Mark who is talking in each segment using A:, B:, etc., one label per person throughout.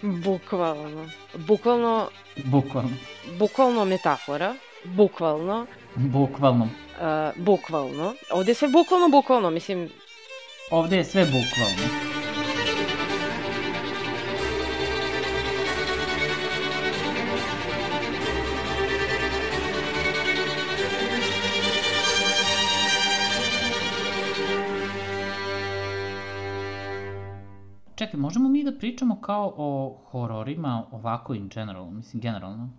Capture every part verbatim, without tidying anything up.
A: Bukvalno. Bukvalno...
B: Bukvalno.
A: Bukvalno metafora. Bukvalno.
B: Bukvalno.
A: Uh, bukvalno. Ovde je sve bukvalno, bukvalno, mislim...
B: Ovde je sve bukvalno. Čekaj, možemo mi da pričamo kao o hororima ovako in general, mislim generalno?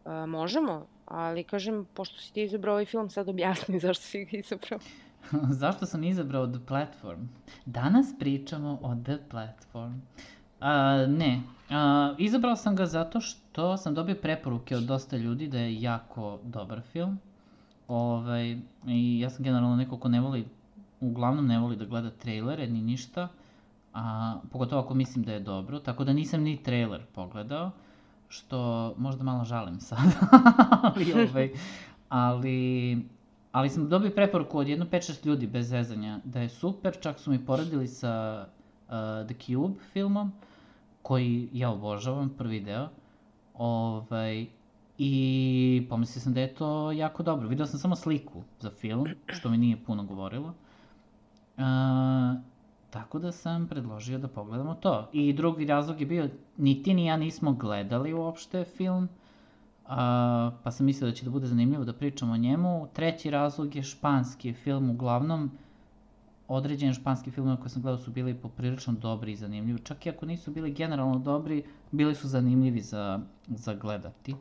A: Uh, možemo, ali kažem, pošto si ti izabrao ovaj film, sad objasni zašto si ga izabrao.
B: Zašto sam izabrao The Platform? Danas pričamo o The Platform. Uh, ne, uh, izabrao sam ga zato što sam dobio preporuke od dosta ljudi da je jako dobar film. Ovaj, i ja sam generalno neko ko ne voli, uglavnom ne voli da gleda trailere ni ništa. A, pogotovo ako mislim da je dobro, tako da nisam ni trailer pogledao, što možda malo žalim sad, ali, ovaj, ali, ali sam dobio preporuku od jedno pet šest ljudi bez zezanja da je super, čak su mi poredili sa uh, The Cube filmom, koji ja obožavam, prvi deo, ovaj, i pomislio sam da je to jako dobro. Video sam samo sliku za film, što mi nije puno govorilo. Uh, Tako da sam predložio da pogledamo to. I drugi razlog je bio, ni ti ni ja nismo gledali uopšte film, a, pa sam mislio da će da bude zanimljivo da pričamo o njemu. Treći razlog je španski film, uglavnom određeni španski filmove koje sam gledao su bili poprilično dobri i zanimljivi. Čak i ako nisu bili generalno dobri, bili su zanimljivi za, za gledati.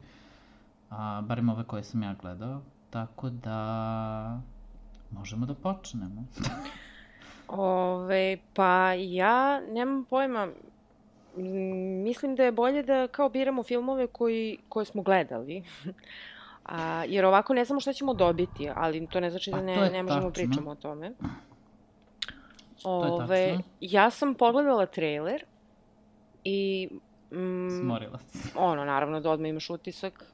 B: A, barem ove koje sam ja gledao. Tako da možemo da počnemo.
A: Ove, pa ja nemam pojma, mislim da je bolje da kao biramo filmove koji, koje smo gledali, a, jer ovako ne znamo šta ćemo dobiti, ali to ne znači da ne, ne možemo pričamo o tome. Ove, ja sam pogledala trailer i... Mm,
B: Smorila se.
A: Ono, naravno da odmah imaš utisak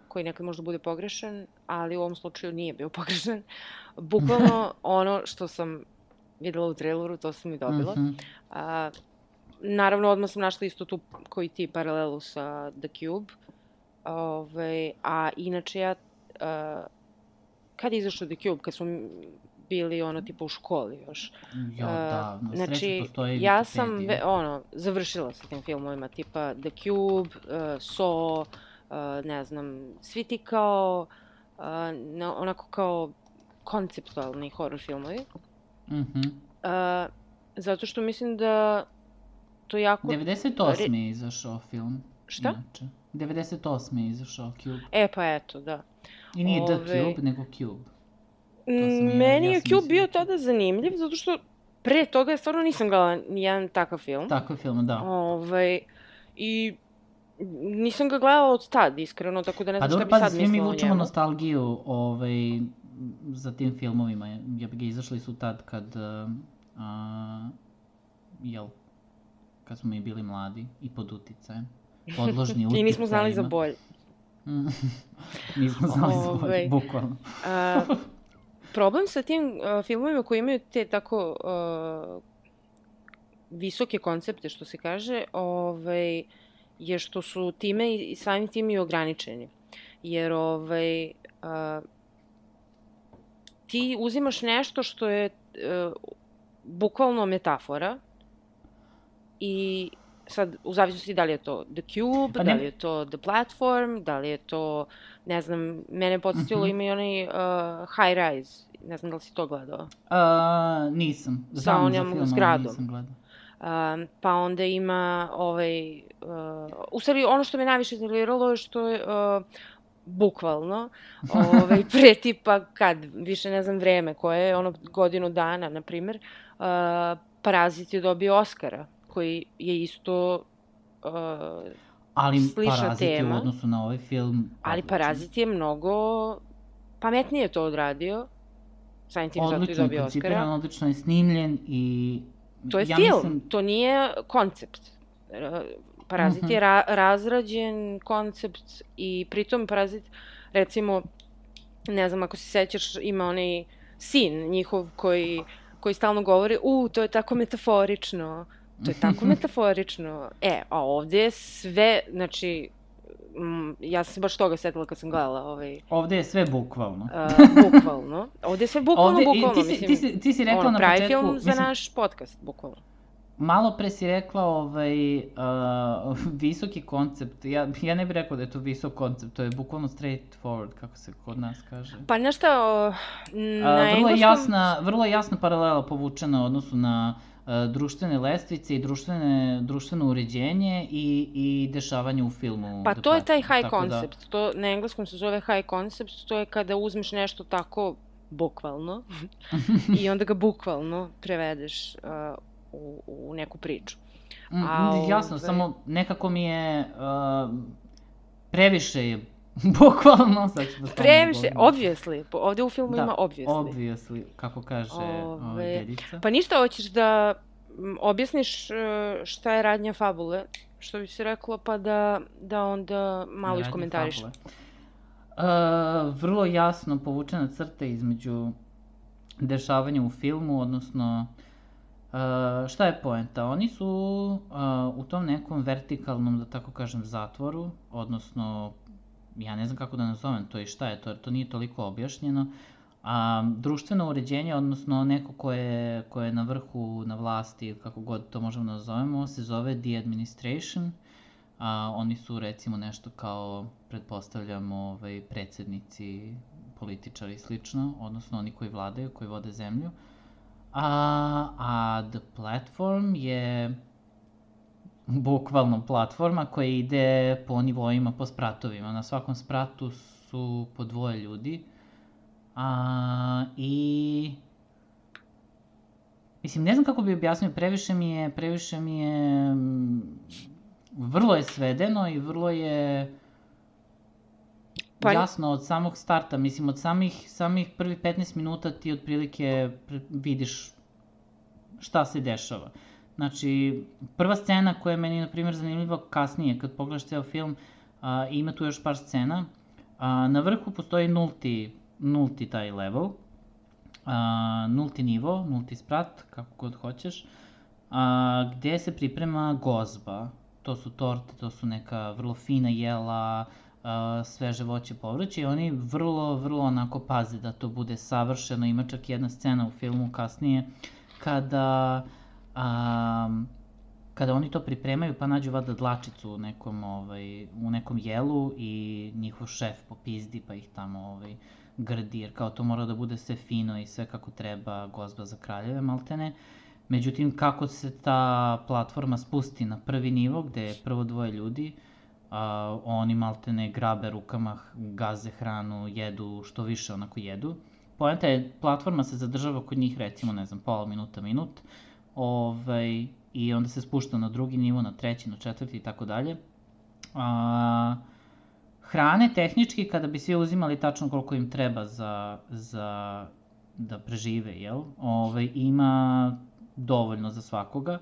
A: koji nekad možda bude pogrešan, ali u ovom slučaju nije bio pogrešan. Bukvalno ono što sam videla u traileru, to sam i dobila. Mm-hmm. A, naravno, odmah sam našla isto tu koji ti paralelu sa The Cube. Ove, a inače ja, a, kad je izašao The Cube, kad smo bili ono tipa u školi još.
B: Jo, da, na
A: znači,
B: sreći postoji
A: ja sam ve, ono, završila sa tim filmovima tipa The Cube, uh, Saw, uh, ne znam, svi ti kao, uh, na, onako kao konceptualni horror filmovi.
B: Mhm.
A: Uh, zato što mislim da to jako...
B: devedeset osme je izašao film.
A: Šta?
B: Inače. devedeset osme je izašao Cube.
A: E, pa eto, da.
B: I nije Ove... The Cube, nego Cube.
A: Meni ja, je Cube bio tada zanimljiv, zato što pre toga stvarno nisam gledala nijedan takav film.
B: Takav film, da.
A: Ove, I nisam ga gledala od tad, iskreno, tako da ne znam šta bi sad mislila o njemu.
B: Pa dobro, pa svi mi vučemo nostalgiju ovaj, za tim filmovima. Ja bi ga izašli su tad kad, a, jel, kad smo mi bili mladi i pod uticajem. Podložni uticajima.
A: I nismo znali za bolje.
B: Nismo znali za bolje, bukvalno.
A: A, problem sa tim uh, filmovima koji imaju te tako uh, visoke koncepte, što se kaže, ovaj, je što su time i samim tim i ograničeni. Jer ovaj, uh, ti uzimaš nešto što je uh, bukvalno metafora i sad, u zavisnosti da li je to The Cube, pa da li je to The Platform, da li je to, ne znam, mene podsjetilo, uh-huh. ima i onaj uh, High Rise, ne znam da li si to gledao?
B: Uh, nisam, znam za film, ali nisam gledao.
A: Uh, pa onda ima ovaj, uh, u stvari ono što me najviše iznerviralo je što je uh, bukvalno, ovaj, pre tipa kad, više ne znam vreme, koje je ono godinu dana, na primer, uh, Parazit je dobio Oscara, koji je isto uh,
B: ali
A: slična tema. Ali
B: Parazit je u odnosu na ovaj film...
A: Ali Parazit je mnogo pametnije to odradio, samim tim zato i dobio Oscara.
B: Odlično je koncipiran, odlično je snimljen i...
A: To je
B: ja
A: film,
B: mislim...
A: to nije koncept. Parazit uh-huh. je ra- razrađen koncept i pritom Parazit, recimo, ne znam ako se sećaš, ima onaj sin njihov koji, koji stalno govori, u, to je tako metaforično. To je tako metaforično. E, a ovde je sve, znači, m, ja sam se baš toga setila kad sam gledala ovaj...
B: Ovde je sve bukvalno.
A: Uh, bukvalno. Ovde je sve bukvalno,
B: Ovde,
A: bukvalno,
B: ti si,
A: mislim.
B: Ti si, ti si rekla
A: ono,
B: na
A: pravi
B: početku...
A: film za
B: mislim,
A: naš podcast, bukvalno.
B: Malo pre si rekla ovaj, uh, visoki koncept. Ja, ja ne bih rekao da je to visok koncept, to je bukvalno straight forward, kako se kod nas kaže.
A: Pa nešto, na
B: uh, vrlo,
A: engleskom...
B: jasna, vrlo jasna paralela povučena u odnosu na uh, društvene lestvice i društvene, društveno uređenje i, i dešavanje u filmu.
A: Pa to je taj high
B: tako
A: concept, da... to na engleskom se zove high concept, to je kada uzmeš nešto tako bukvalno i onda ga bukvalno prevedeš uh, U, u neku priču.
B: A, Jasno, ove... samo nekako mi je uh, previše je bukvalno, sad ću da stavim
A: previše, obviously, ovde u filmu
B: da,
A: ima obviously.
B: Obviously, kako kaže
A: ove...
B: ove, dedica.
A: Pa ništa, hoćeš da objasniš šta je radnja fabule, što bi se reklo, pa da, da onda malo iskomentariš.
B: Uh, vrlo jasno povučena crta između dešavanja u filmu, odnosno Uh, šta je poenta? Oni su uh, u tom nekom vertikalnom, da tako kažem, zatvoru, odnosno, ja ne znam kako da nazovem to i šta je to, jer to nije toliko objašnjeno, a društveno uređenje, odnosno neko ko je, ko je na vrhu, na vlasti, kako god to možemo da nazovemo, se zove The Administration. A, oni su recimo nešto kao, pretpostavljamo, ovaj, predsednici, političari i slično, odnosno oni koji vladaju, koji vode zemlju. A, a The Platform je bukvalno platforma koja ide po nivoima, po spratovima. Na svakom spratu su po dvoje ljudi. A, I... Mislim, ne znam kako bi objasnio, previše mi je, previše mi je... Vrlo je svedeno i vrlo je... Pa... jasno od samog starta, mislim od samih, samih prvih petnaest minuta ti otprilike vidiš šta se dešava. Znači, prva scena koja je meni, na primjer, zanimljiva kasnije, kad pogledaš ceo film, a, ima tu još par scena. A, na vrhu postoji nulti, nulti taj level, a, nulti nivo, nulti sprat, kako god hoćeš, a, gde se priprema gozba. To su torte, to su neka vrlo fina jela, Uh, sveže voće, povrće i oni vrlo, vrlo onako paze da to bude savršeno. Ima čak jedna scena u filmu kasnije kada um, kada oni to pripremaju pa nađu vada dlačicu u nekom, ovaj, u nekom jelu i njihov šef popizdi pa ih tamo ovaj, grdi jer kao to mora da bude sve fino i sve kako treba, gozba za kraljeve maltene. Međutim, kako se ta platforma spusti na prvi nivo gde je prvo dvoje ljudi, Uh, oni maltene grabe rukama, gaze hranu, jedu, što više onako jedu. Poenta je, platforma se zadržava kod njih recimo, ne znam, pola minuta, minut, ovaj, i onda se spušta na drugi nivo, na treći, na četvrti i tako dalje. Hrane tehnički, kada bi svi uzimali tačno koliko im treba za, za da prežive, jel? Ovaj, ima dovoljno za svakoga.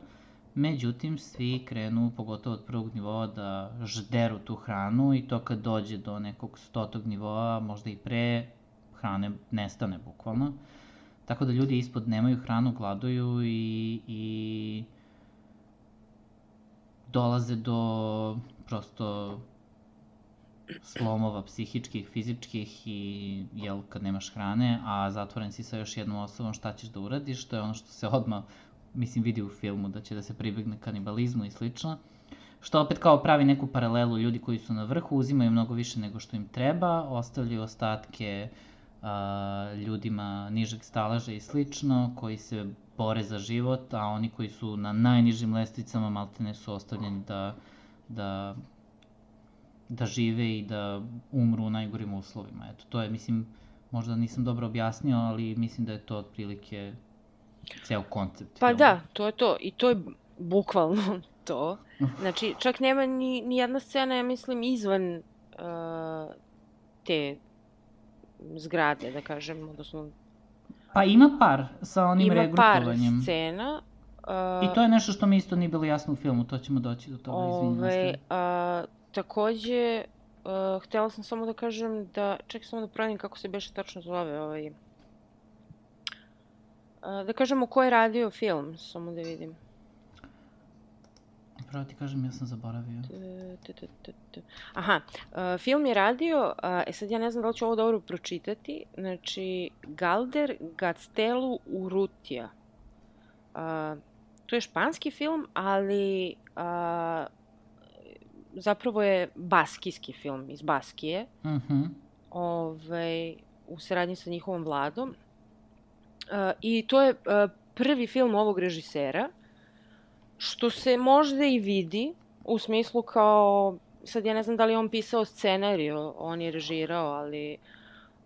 B: Međutim, svi krenu, pogotovo od prvog nivoa, da žderu tu hranu i to kad dođe do nekog stotog nivoa, možda i pre, hrane nestane bukvalno. Tako da ljudi ispod nemaju hranu, gladuju i, i dolaze do prosto slomova psihičkih, fizičkih i jel, kad nemaš hrane, a zatvoren si sa još jednom osobom, šta ćeš da uradiš, to je ono što se odmah mislim, vidi u filmu da će da se pribegne kanibalizmu i slično, što opet kao pravi neku paralelu, ljudi koji su na vrhu uzimaju mnogo više nego što im treba, ostavljaju ostatke a, ljudima nižeg staleža i slično, koji se bore za život, a oni koji su na najnižim lestvicama maltene su ostavljeni da, da, da žive i da umru u najgorim uslovima. Eto, to je, mislim, možda nisam dobro objasnio, ali mislim da je to otprilike ceo koncept.
A: Pa
B: filma.
A: Da, to je to. I to je bukvalno to. Znači, čak nema ni, ni jedna scena, ja mislim, izvan uh, te zgrade, da kažem, odnosno...
B: Pa ima par sa onim
A: ima
B: regrupovanjem.
A: Ima par scena. Uh,
B: I to je nešto što mi isto nije bilo jasno u filmu, to ćemo doći do toga, izvinjam
A: se. Uh, takođe, uh, htjela sam samo da kažem da, čekaj samo da pravim kako se beše tačno zove, ovaj... Da kažemo ko je radio film, samo da vidim.
B: pravo ti kažem, ja sam zaboravio.
A: T, t, t, t. Aha, uh, film je radio, uh, e sad ja ne znam da li ću ovo dobro pročitati, znači Galder Gaztelu Urrutia. Uh, to je španski film, ali uh, zapravo je baskijski film iz Baskije.
B: Mhm.
A: Ovaj, u saradnji sa njihovom vladom. Uh, I to je uh, prvi film ovog režisera, što se možda i vidi, u smislu kao, sad ja ne znam da li je on pisao scenariju, on je režirao, ali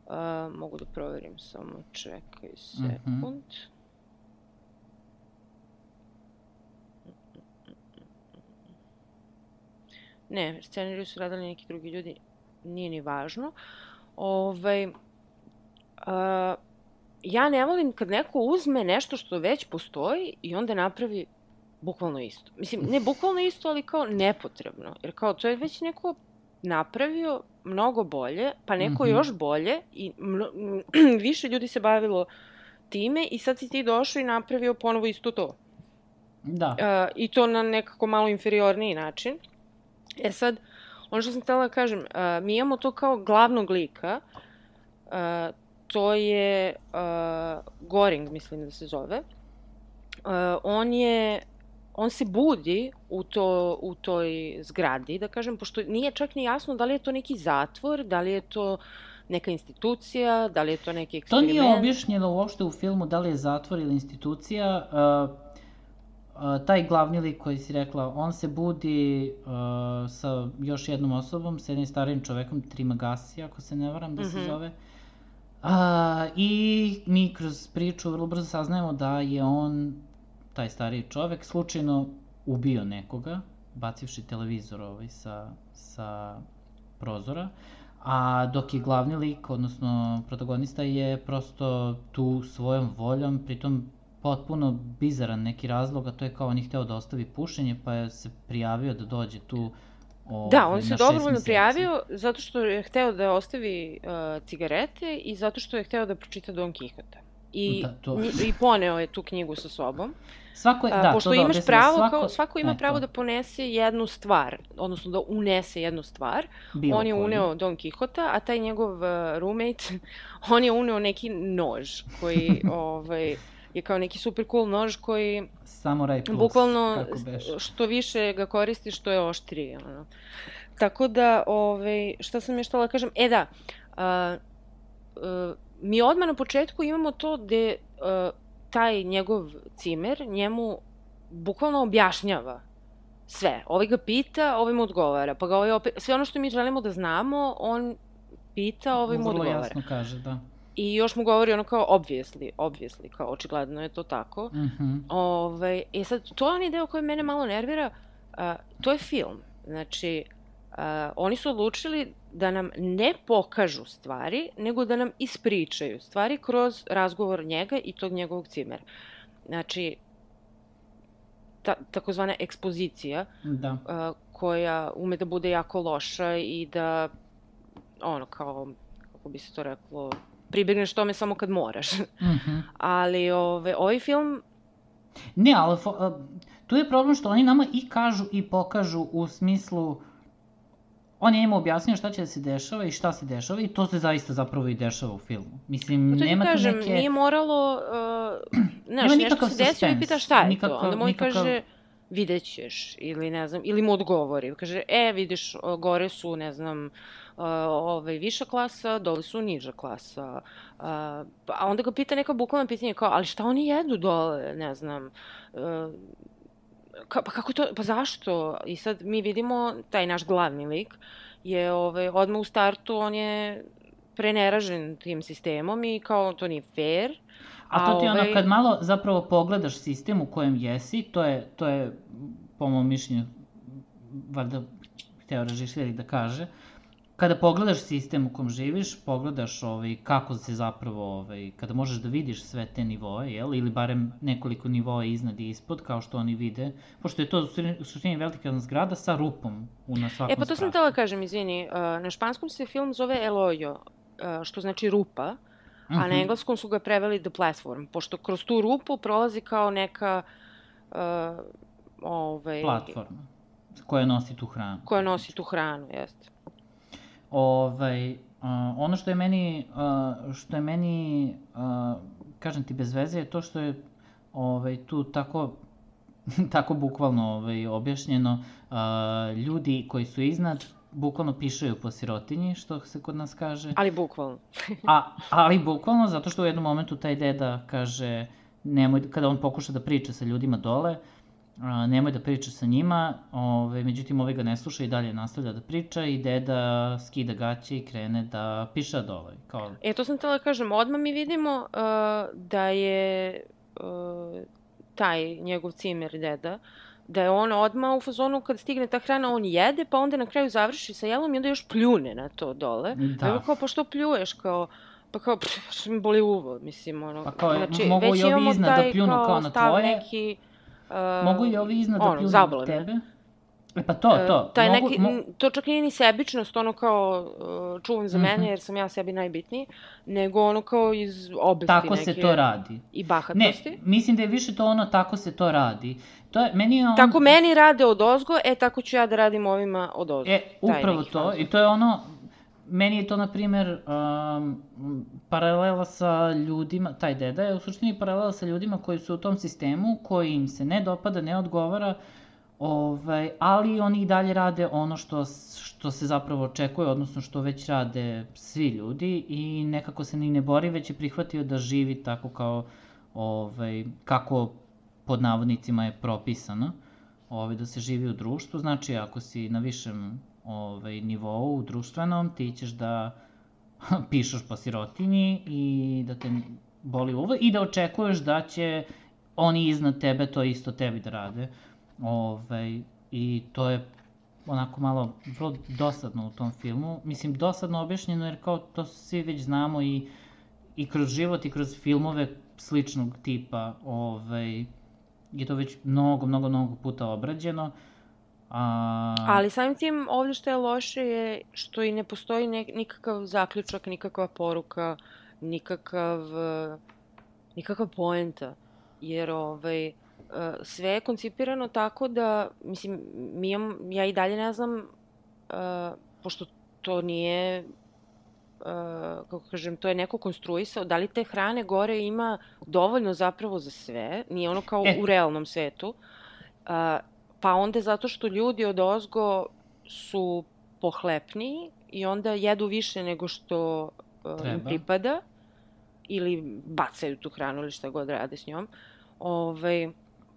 A: uh, mogu da proverim samo, čekaj sekund. Mm-hmm. Ne, scenariju su radili neki drugi ljudi, nije ni važno. Ovaj, uh, ja ne volim kad neko uzme nešto što već postoji i onda napravi bukvalno isto. Mislim, ne bukvalno isto, ali kao nepotrebno. Jer kao to je već neko napravio mnogo bolje, pa neko mm-hmm. još bolje i mno, više ljudi se bavilo time i sad si ti došao i napravio ponovo isto to.
B: Da.
A: Uh, I to na nekako malo inferiorniji način. E sad, ono što sam htjela da kažem, uh, mi imamo to kao glavnog lika, uh, to je uh, Goring, mislim da se zove. Uh, on je, on se budi u, to, u toj zgradi, da kažem, pošto nije čak ni jasno da li je to neki zatvor, da li je to neka institucija, da li je to neki eksperiment.
B: To nije objašnjeno uopšte u filmu da li je zatvor ili institucija. Uh, uh, taj glavni lik koji si rekla, on se budi uh, sa još jednom osobom, sa jednim starijim čovekom, Trimagasi, ako se ne varam da se mm-hmm. zove. Uh, I mi kroz priču vrlo brzo saznajemo da je on, taj stariji čovek, slučajno ubio nekoga, bacivši televizor ovaj sa, sa prozora, a dok je glavni lik, odnosno protagonista, je prosto tu svojom voljom, pritom potpuno bizaran neki razlog, a to je kao on je hteo da ostavi pušenje, pa je se prijavio da dođe tu o,
A: da, on se dobrovoljno prijavio zato što je hteo da ostavi uh, cigarete i zato što je hteo da pročita Don Quixota. I, da, to... I poneo je tu knjigu sa sobom.
B: Svako je, da,
A: uh, pošto
B: to
A: imaš
B: da,
A: pravo,
B: svako...
A: kao, svako ima
B: e,
A: pravo
B: to.
A: da ponese jednu stvar, odnosno da unese jednu stvar.
B: Bilo
A: on je
B: koji.
A: uneo Don Quixota, a taj njegov uh, roommate, on je uneo neki nož koji ovaj, je kao neki super cool nož koji
B: Samurai Plus,
A: bukvalno što više ga koristiš, što je oštriji. Ono. Tako da, ovaj, šta sam još htjela kažem, e da, uh, uh, mi odmah na početku imamo to gde uh, taj njegov cimer njemu bukvalno objašnjava sve. Ovaj ga pita, ovaj mu odgovara. Pa ga ovaj opet, sve ono što mi želimo da znamo, on pita, ovaj mu odgovara.
B: Vrlo jasno kaže, da.
A: I još mu govori ono kao obviously, obviously, kao očigledno je to tako.
B: Mm-hmm.
A: Ove, I sad, to je onaj deo koji mene malo nervira, uh, to je film. Znači, uh, oni su odlučili da nam ne pokažu stvari, nego da nam ispričaju stvari kroz razgovor njega i tog njegovog cimera. Znači, ta, takozvana ekspozicija,
B: da.
A: Uh, koja ume da bude jako loša i da, ono, kao, kako bi se to reklo, pribegneš tome samo kad moraš.
B: Mm-hmm.
A: Ali ove, ovaj film...
B: Ne, ali fo, uh, tu je problem što oni nama i kažu i pokažu u smislu... On je im objasnio šta će da se dešava i šta se dešava i to se zaista zapravo i dešava u filmu. Mislim,
A: to
B: nema tu
A: kažem,
B: neke...
A: nije moralo... Uh, znaš, nešto se desilo i pita šta je nikakav, to. Onda mu nikakav... kaže, vidjet ćeš, ili ne znam, ili mu odgovori. Kaže, e, vidiš, gore su, ne znam, uh, ovaj, viša klasa, dole su niža klasa. Uh, a onda ga pita neka bukvalna pitanja kao, ali šta oni jedu dole, ne znam... Uh, Ka, pa kako to, pa zašto? I sad mi vidimo, taj naš glavni lik je ovaj, odmah u startu, on je preneražen tim sistemom i kao to nije fair.
B: A to ti ovaj... ono, kad malo zapravo pogledaš sistem u kojem jesi, to je, to je po mom mišljenju, valjda hteo režiser da kaže, kada pogledaš sistem u kom živiš, pogledaš ovaj, kako se zapravo, ovaj, kada možeš da vidiš sve te nivoe, jel? Ili barem nekoliko nivoa iznad i ispod, kao što oni vide, pošto je to u suštini velika zgrada sa rupom na svakom
A: E pa to
B: spratu.
A: sam htjela kažem, izvini, na španskom se film zove El Hoyo, što znači rupa, uh-huh. a na engleskom su ga preveli The Platform, pošto kroz tu rupu prolazi kao neka... Uh, ovaj,
B: platforma. koja nosi tu hranu.
A: Koja nosi tu hranu, jeste.
B: Ovaj, uh, ono što je meni, uh, što je meni, uh, kažem ti, bez veze je to što je ovaj, tu tako, tako bukvalno ovaj, objašnjeno, uh, ljudi koji su iznad bukvalno pišaju po sirotinji, što se kod nas kaže.
A: Ali bukvalno.
B: A, ali bukvalno, zato što u jednom momentu taj deda kaže, nemoj, kada on pokuša da priča sa ljudima dole, a, nemoj da priča sa njima, ove, međutim ovaj ga ne sluša i dalje nastavlja da priča i deda skida gaće i krene da piša dole. Kao...
A: E, to sam htjela da kažem, odmah mi vidimo uh, da je uh, taj njegov cimer deda, da je on odmah u fazonu kad stigne ta hrana, on jede, pa onda na kraju završi sa jelom i onda još pljune na to dole. Da. A kao, pa što pljuješ, kao, pa kao, što mi boli uvo, mislim, ono.
B: Pa kao, znači, mogu i ovi iznad da pljunu kao, kao na tvoje, neki, uh, mogu i ovi iznad da ono, pljunu na tebe. E pa to, to.
A: Taj
B: mogu,
A: neki, mo... To čak nije ni sebičnost, ono kao uh, čuvam za mene, mm-hmm. jer sam ja sebi najbitniji, nego ono kao iz obesti
B: tako
A: neke.
B: Se to radi.
A: I bahatosti.
B: Ne, mislim da je više to ono tako se to radi. To je, meni je on...
A: Tako meni rade od ozgo, e tako ću ja da radim ovima od ozgo.
B: E, upravo to. Fazor. I to je ono, meni je to, na primer, um, paralela sa ljudima, taj deda je u suštini paralela sa ljudima koji su u tom sistemu, koji im se ne dopada, ne odgovara, ovaj, ali oni i dalje rade ono što, što se zapravo očekuje, odnosno što već rade svi ljudi i nekako se ni ne bori, već je prihvatio da živi tako kao, ovaj, kako pod navodnicima je propisano, ovaj, da se živi u društvu. Znači, ako si na višem ovaj, nivou, u društvenom, ti ćeš da pišeš po sirotinji i da te boli uvo i da očekuješ da će oni iznad tebe to isto tebi da rade. Ovaj, I to je onako malo vrlo dosadno u tom filmu. Mislim, dosadno objašnjeno jer kao to svi već znamo i, i kroz život i kroz filmove sličnog tipa ovaj, je to već mnogo, mnogo, mnogo puta obrađeno. A...
A: Ali samim tim ovdje što je loše je što i ne postoji ne, nikakav zaključak, nikakva poruka, nikakav, nikakav poenta. Jer ovaj, sve je koncipirano tako da, mislim, mi imam, ja i dalje ne znam, uh, pošto to nije, uh, kako kažem, to je neko konstruisao, da li te hrane gore ima dovoljno zapravo za sve, nije ono kao e. u realnom svetu, uh, pa onda zato što ljudi od ozgo su pohlepniji i onda jedu više nego što uh, im pripada, ili bacaju tu hranu ili šta god rade s njom, ovaj,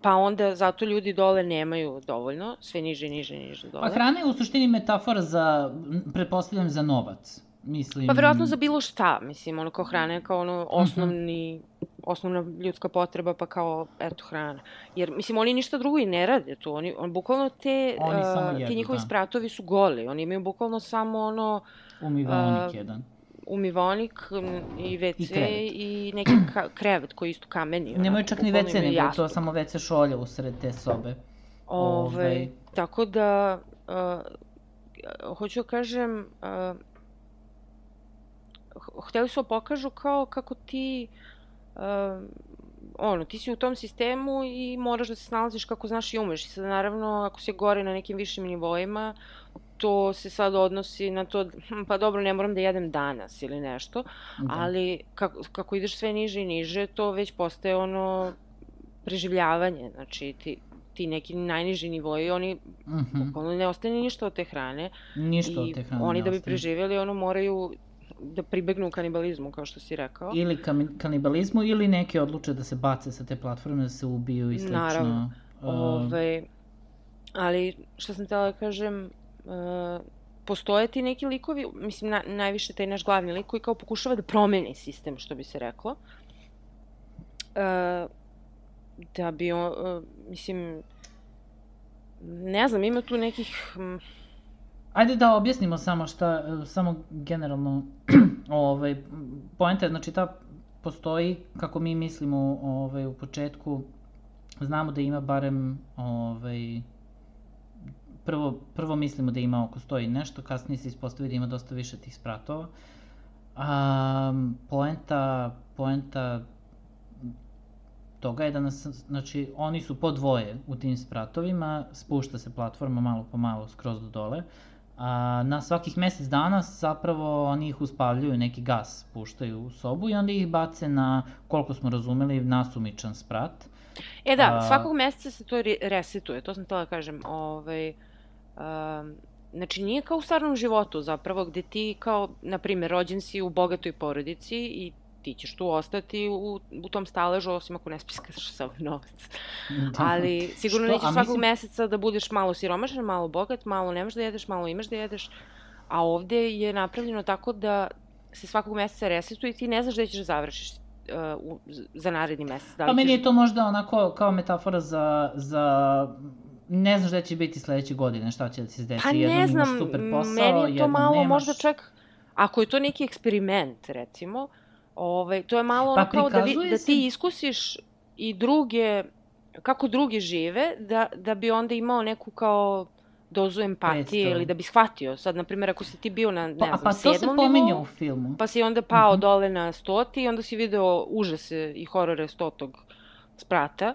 A: pa onda zato ljudi dole nemaju dovoljno, sve niže, niže, niže dole.
B: Pa hrana je u suštini metafora za, pretpostavljam, za novac, mislim.
A: Pa verovatno za bilo šta, mislim, ono kao hrana je kao ono osnovni, uh-huh. osnovna ljudska potreba, pa kao, eto, hrana. Jer, mislim, oni ništa drugo i ne rade tu, oni, on, bukvalno te,
B: oni uh, jedu,
A: ti njihovi
B: da.
A: spratovi su goli, oni imaju bukvalno samo ono...
B: Umivaonik uh, jedan.
A: Umivaonik i ve ce i, i neki ka- krevet koji isto kameni.
B: Nemoj čak ni ve ce, nego je to samo ve ce šolja usred te sobe.
A: Ove, Ove. Tako da, uh, hoću da kažem, uh, hteli su da pokažu kao kako ti, uh, ono, ti si u tom sistemu i moraš da se snalaziš kako znaš i umeš. I sad, naravno, ako si gore na nekim višim nivoima, to se sad odnosi na to, pa dobro, ne moram da jedem danas ili nešto, da. Ali kako, kako ideš sve niže i niže, to već postaje ono preživljavanje, znači ti, ti neki najniži nivoji, oni uh-huh. ono, ne ostane ništa od te hrane.
B: Ništa od te hrane
A: oni da bi preživjeli, ono moraju da pribegnu kanibalizmu, kao što si rekao.
B: Ili kanibalizmu, ili neki odluče da se bace sa te platforme, da se ubiju i slično.
A: Naravno. Uh... Ove, ali što sam htjela da kažem, Uh, postoje ti neki likovi, mislim, na, najviše taj naš glavni lik koji kao pokušava da promeni sistem, što bi se reklo. Uh, da bi, on, uh, mislim, ne znam, ima tu nekih... Um...
B: Ajde da objasnimo samo šta, samo generalno, ovaj, poenta je, znači ta postoji, kako mi mislimo ovaj, u početku, znamo da ima barem, ovaj, Prvo, prvo mislimo da ima oko sto i nešto, kasnije se ispostavi da ima dosta više tih spratova. Um, poenta, poenta toga je da nas, znači, oni su po dvoje u tim spratovima, spušta se platforma malo po malo skroz do dole, a na svakih mesec dana zapravo oni ih uspavljuju, neki gas puštaju u sobu i onda ih bace na, koliko smo razumeli, nasumičan sprat.
A: E da, a... svakog meseca se to resetuje, to sam htjela da kažem, ovaj... Um... Znači, nije kao u stvarnom životu zapravo, gde ti kao, na primjer, rođen si u bogatoj porodici i ti ćeš tu ostati u, u tom staležu, osim ako ne spiskaš sav novac. Ali sigurno nećeš svakog mislim... meseca da budeš malo siromašan, malo bogat, malo nemaš da jedeš, malo imaš da jedeš. A ovde je napravljeno tako da se svakog meseca resetuje i ti ne znaš gde ćeš da završiš uh, u, za naredni mesec. Da
B: pa meni
A: ćeš...
B: je to možda onako kao metafora za... za... Ne znaš da će biti sledeće godine, šta će da se desi,
A: pa
B: jednom
A: ne znam,
B: imaš super posao,
A: meni je to malo
B: nemaš...
A: možda čak, ako je to neki eksperiment, recimo, ovaj, to je malo ono pa kao da, vi, da ti se... iskusiš i druge, kako drugi žive, da, da bi onda imao neku kao dozu empatije Predstav. Ili da bi shvatio. Sad, na primjer, ako si ti bio na, ne
B: pa,
A: znam,
B: pa
A: sedmom nivou, u filmu. Pa si onda pao uh-huh. dole na stoti i onda si video užase i horore stotog sprata,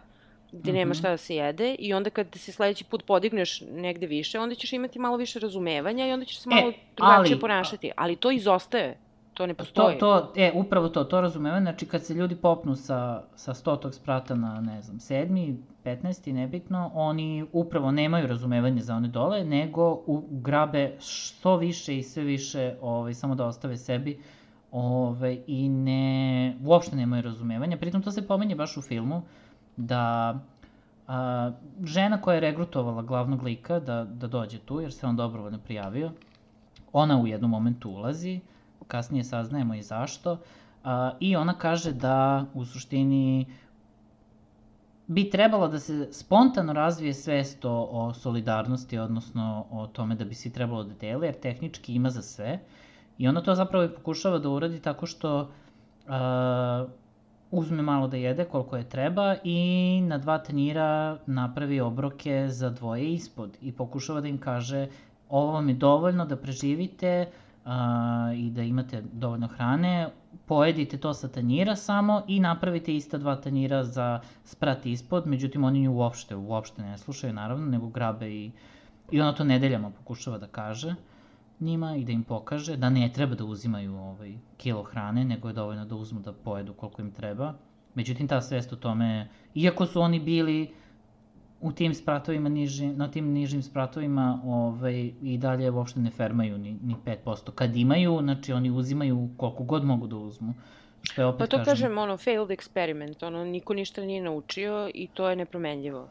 A: gde nema šta da se jede i onda kad se sledeći put podigneš negde više, onda ćeš imati malo više razumevanja i onda ćeš se malo e, drugačije ali, ponašati. Ali to izostaje, to ne postoji.
B: To, to, e, upravo to, to razumevanje, znači kad se ljudi popnu sa, sa stotog sprata na, ne znam, sedmi, petnaesti, nebitno, oni upravo nemaju razumevanje za one dole, nego u, grabe što više i sve više, ovaj, samo da ostave sebi, ovaj, i ne, uopšte nemaju razumevanja. Pritom to se pominje baš u filmu, da a, žena koja je regrutovala glavnog lika da, da dođe tu, jer se on dobrovoljno prijavio, ona u jednom momentu ulazi, kasnije saznajemo i zašto, a, i ona kaže da u suštini bi trebalo da se spontano razvije svest o, o solidarnosti, odnosno o tome da bi svi trebalo da dele, jer tehnički ima za sve. I ona to zapravo i pokušava da uradi tako što a, uzme malo da jede koliko je treba i na dva tanjira napravi obroke za dvoje ispod i pokušava da im kaže ovo vam je dovoljno da preživite a, i da imate dovoljno hrane, pojedite to sa tanjira samo i napravite ista dva tanjira za sprat ispod, međutim oni nju uopšte, uopšte ne slušaju naravno, nego grabe i, i ona to nedeljama pokušava da kaže njima i da im pokaže da ne treba da uzimaju ovaj, kilo hrane, nego je dovoljno da uzmu da pojedu koliko im treba. Međutim, ta svest o tome, iako su oni bili u tim spratovima, niži, na tim nižim spratovima, ovaj, i dalje uopšte ne fermaju ni, ni pet posto. Kad imaju, znači oni uzimaju koliko god mogu da uzmu. Što je opet,
A: pa to
B: kažem,
A: kažem, ono, failed experiment, ono, niko ništa nije naučio i to je nepromenljivo.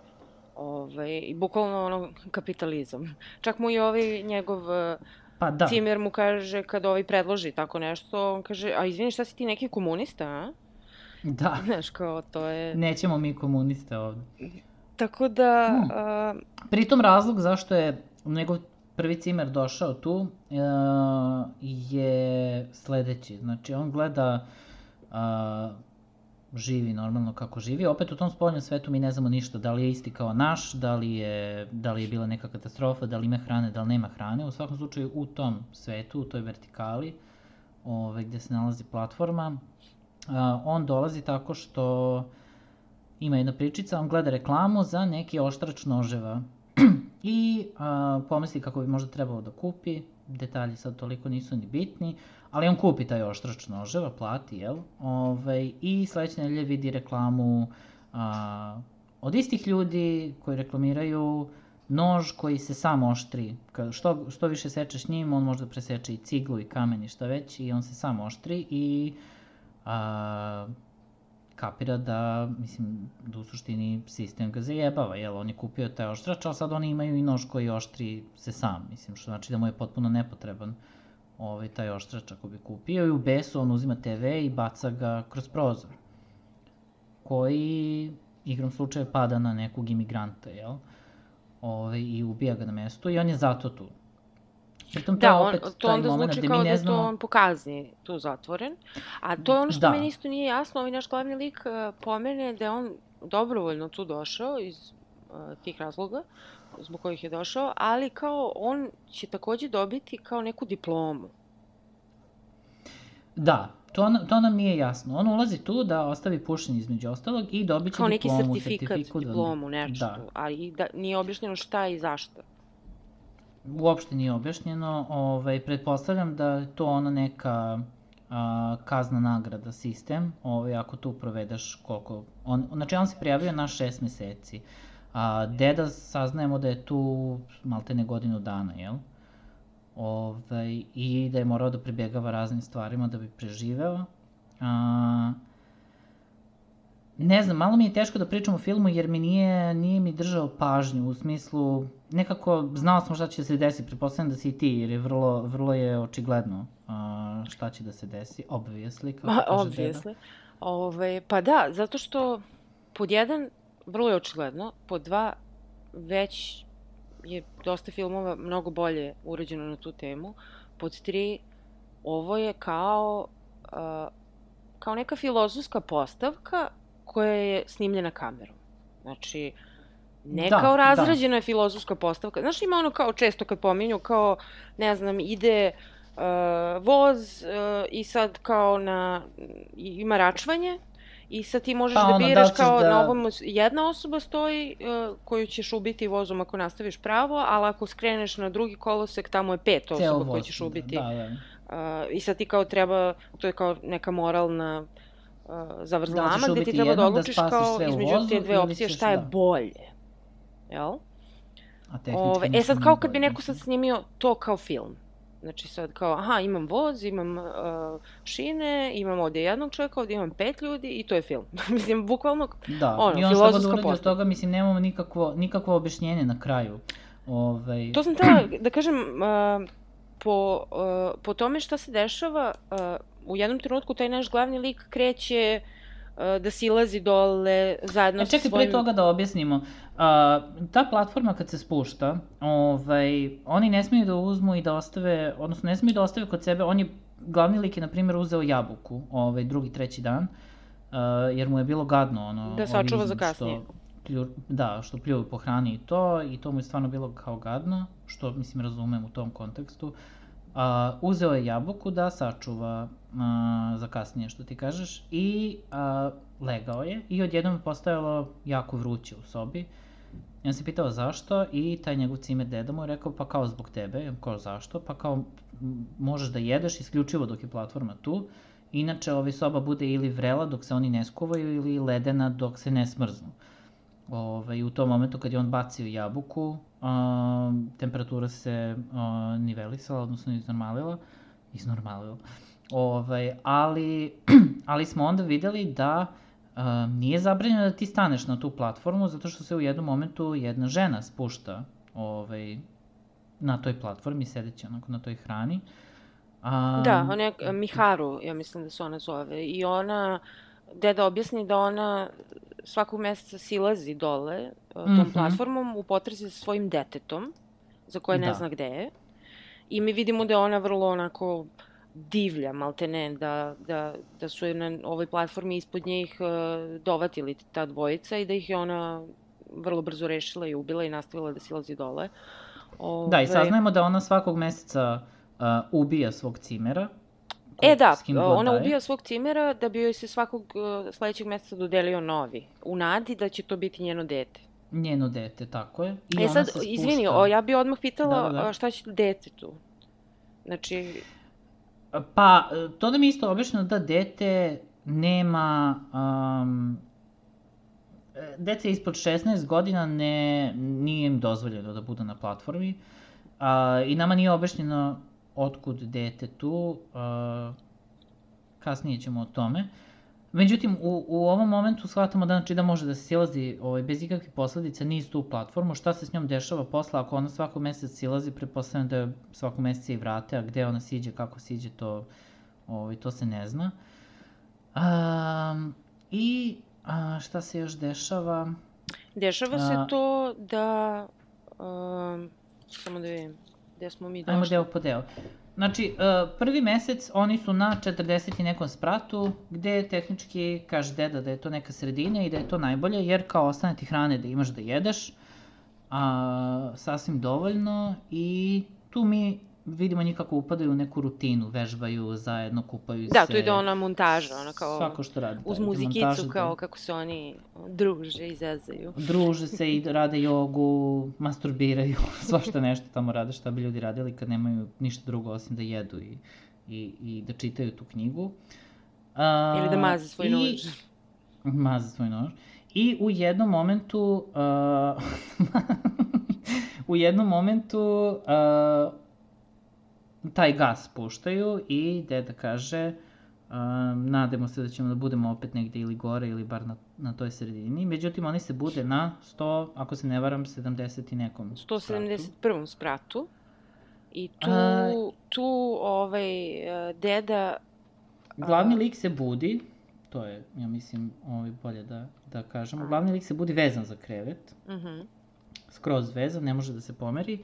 A: Ovaj, i bukvalno, ono, kapitalizam. Čak mu i ovaj njegov... Pa da. Cimer mu kaže, kad ovaj predloži tako nešto, on kaže, a izvini, šta si ti neki komunista, a?
B: Da.
A: Znaš, kao, to je...
B: Nećemo mi komuniste ovde.
A: Tako da...
B: Hmm. A... Pritom razlog zašto je njegov prvi Cimer došao tu uh, je sledeći. Znači, on gleda... Uh, živi normalno kako živi. Opet u tom spoljnom svetu mi ne znamo ništa, da li je isti kao naš, da li je, da li je bila neka katastrofa, da li ima hrane, da li nema hrane. U svakom slučaju u tom svetu, u toj vertikali, ove, gde se nalazi platforma, a, on dolazi tako što ima jedna pričica, on gleda reklamu za neki oštrač noževa i a, pomisli kako bi možda trebalo da kupi, detalji sad toliko nisu ni bitni, ali on kupi taj oštrač noževa, plati, jel? Ove, I sledeće nedelje vidi reklamu a, od istih ljudi koji reklamiraju nož koji se sam oštri. Što, što više sečeš njim, on možda preseče i ciglu i kamen i šta već, i on se sam oštri i a, kapira da, mislim, da u suštini sistem ga zajebava, jel? On je kupio taj oštrač, ali sad oni imaju i nož koji oštri se sam, mislim, što znači da mu je potpuno nepotreban ovaj, taj oštrač ako bi kupio, i u besu on uzima te ve i baca ga kroz prozor, koji igrom slučaja pada na nekog imigranta, jel? Ovaj, i ubija ga na mestu i on je zato tu. Pritom to
A: da,
B: opet
A: on, to onda zvuči kao da znamo... to on pokazni tu zatvoren, a to je ono što da. Meni isto nije jasno, ovaj naš glavni lik uh, pomene da je on dobrovoljno tu došao iz uh, tih razloga zbog kojih je došao, ali kao on će takođe dobiti kao neku diplomu.
B: Da, to, to nam nije jasno. On ulazi tu da ostavi pušenje između ostalog i dobit će
A: kao
B: diplomu,
A: neki sertifikat,
B: sertifikat,
A: diplomu, nešto,
B: da.
A: ali da, nije objašnjeno šta i zašto.
B: Uopšte nije objašnjeno, ovaj, pretpostavljam da je to ona neka a, kazna nagrada sistem, ovaj, ako tu provedeš koliko... On, znači on se prijavio na šest meseci, a deda saznajemo da je tu maltene godinu dana, jel? Ovaj, i da je morao da pribjegava raznim stvarima da bi preživeo. A, ne znam, malo mi je teško da pričam o filmu jer mi nije, nije mi držao pažnju u smislu, nekako znao sam šta će se desiti, pretpostavljam da si i ti jer je vrlo, vrlo je očigledno a, šta će da se desi, obviously, kako
A: Ma,
B: kaže
A: obviously.
B: deda.
A: Ove, pa da, zato što pod jedan, vrlo je očigledno, pod dva, već je dosta filmova mnogo bolje urađeno na tu temu. Pod tri, ovo je kao, uh, kao neka filozofska postavka koja je snimljena kamerom. Znači, ne
B: Da,
A: kao
B: da.
A: razrađena je filozofska postavka. Znaš, ima ono kao često kad pominju, kao, ne znam, ide uh, voz uh, i sad kao na, ima račvanje, i sad ti možeš
B: Pa
A: da
B: ono, da
A: biraš
B: li ćeš
A: kao
B: da-
A: na ovom jedna osoba stoji uh, koju ćeš ubiti vozom ako nastaviš pravo, ali ako skreneš na drugi kolosek, tamo je pet
B: Ceo
A: osoba
B: voz,
A: koje ćeš ubiti.
B: Da, da.
A: Uh, I sad ti kao treba, to je kao neka moralna uh, zavrzlama,
B: Da li ćeš
A: gde ti
B: ubiti
A: treba da
B: jednog, da
A: odlučiš
B: spasiš
A: kao
B: sve u
A: između
B: vozu
A: te dve
B: ili
A: opcije
B: ćeš-
A: šta je
B: da.
A: bolje. Jel?
B: A tehnički
A: Ove, e
B: ništa
A: sad
B: nije
A: kao kad bi
B: bolje,
A: neko sad
B: mislim.
A: snimio to kao film. Znači sad kao, aha, imam voz, imam uh, šine, imam ovdje jednog čovjeka, ovdje imam pet ljudi i to je film. Mislim, bukvalno,
B: Da,
A: ono,
B: i on što god
A: filozofska
B: uradi od
A: postavka.
B: toga, mislim, nemamo nikakvo, nikakvo objašnjenje na kraju. Ovaj,
A: To sam htjela da kažem, uh, po, uh, po tome šta se dešava, uh, u jednom trenutku taj naš glavni lik kreće uh, da silazi dole zajedno
B: E,
A: sa
B: čekaj,
A: svojim...
B: pre toga da objasnimo. Uh, ta platforma kad se spušta, ovaj, oni ne smiju da uzmu i da ostave, odnosno ne smiju da ostave kod sebe, on je, glavni lik je, na primjer, uzeo jabuku, ovaj, drugi, treći dan, uh, jer mu je bilo gadno, ono,
A: Da
B: ovi
A: sačuva za
B: iznad
A: kasnije.
B: što plju, da, što pljuju po hrani i to, i to mu je stvarno bilo kao gadno, što, mislim, razumem u tom kontekstu. Uh, uzeo je jabuku da sačuva uh, za kasnije, što ti kažeš, i uh, legao je i odjednom je postajalo jako vruće u sobi. I on se pitao zašto i taj njegov cimer deda mu je rekao pa kao zbog tebe. I on kao zašto? Pa kao m, možeš da jedeš isključivo dok je platforma tu. Inače ovaj soba bude ili vrela dok se oni ne skuvaju ili ledena dok se ne smrznu. Ove, u tom momentu kad je on bacio jabuku, a, temperatura se a, nivelisala, odnosno iznormalila. Iznormalila. Ove, ali, ali smo onda videli da a, nije zabranjeno da ti staneš na tu platformu, zato što se u jednom momentu jedna žena spušta ovaj, na toj platformi, sedeći onako na toj hrani. A,
A: Da, ona je uh, Miharu, ja mislim da se ona zove. I ona, deda objasni da ona svakog meseca silazi dole uh, tom
B: Mhm.
A: platformom u potrazi za svojim detetom, za koje ne
B: Da.
A: zna gde je. I mi vidimo da je ona vrlo onako divlja, maltene, da, da, da su je na ovoj platformi ispod njih uh, dovatili ta dvojica i da ih je ona vrlo brzo rešila i ubila i nastavila da silazi dole.
B: Da, i
A: Ove,
B: saznajemo da ona svakog meseca uh, ubija svog cimera.
A: E
B: ko-
A: da,
B: s kim god
A: ona
B: daje.
A: ubija svog cimera da bi joj se svakog uh, sledećeg meseca dodelio novi, u nadi da će to biti njeno dete.
B: Njeno dete, tako je. I
A: E
B: ona
A: sad,
B: se spušta.
A: izvini, o, ja bi odmah pitala
B: Da, da, da.
A: a, šta će detetu. Znači,
B: Pa, to da mi je isto objašnjeno da dete nema... Um, dece ispod šesnaest godina ne, nije im dozvoljeno da budu na platformi. Uh, I nama nije objašnjeno otkud dete tu. Uh, kasnije ćemo o tome. Međutim, u, u ovom momentu shvatamo da, znači, da može da se silazi ovaj, bez ikakvih posledica niz tu platformu. Šta se s njom dešava posle ako ona svakog meseca silazi, pretpostavljam da je svakog meseca i vrate, a gde ona siđe, kako siđe, to, ovaj, to se ne zna. Um, I a, šta se još dešava?
A: dešava se
B: A-
A: to da... Um, samo da vidim, gde smo mi
B: Ajmo
A: došli.
B: deo po deo. Znači, uh, prvi mesec oni su na četrdeset i nekom spratu, gde tehnički kaže deda da je to neka sredina i da je to najbolje, jer kao ostane ti hrane da imaš da jedeš, a, sasvim dovoljno, i tu mi vidimo njih kako upadaju u neku rutinu, vežbaju zajedno, kupaju se.
A: Da, tu ide ona montaža, ona kao...
B: Svako što radi.
A: Uz muzikicu, kao kako se oni druže i zezaju.
B: Druže se i rade jogu, masturbiraju, svašta nešto tamo rade, šta bi ljudi radili kad nemaju ništa drugo osim da jedu i, i, i da čitaju tu knjigu. A,
A: Ili da maze svoj
B: i...
A: nož.
B: Maze svoj nož. I u jednom momentu... Uh, u jednom momentu uh, taj gas puštaju i deda kaže uh, nadamo se da ćemo da budemo opet negde ili gore ili bar na, na toj sredini. Međutim, oni se bude na sto, ako se ne varam, sedamdeset i nekom
A: sto sedamdeset prvom spratu. I tu,
B: uh,
A: tu ovaj, deda...
B: Glavni lik se budi, to je, ja mislim, ovaj, bolje da, da kažemo, glavni lik se budi vezan za krevet. Mhm. Uh-huh. Skroz vezan, ne može da se pomeri,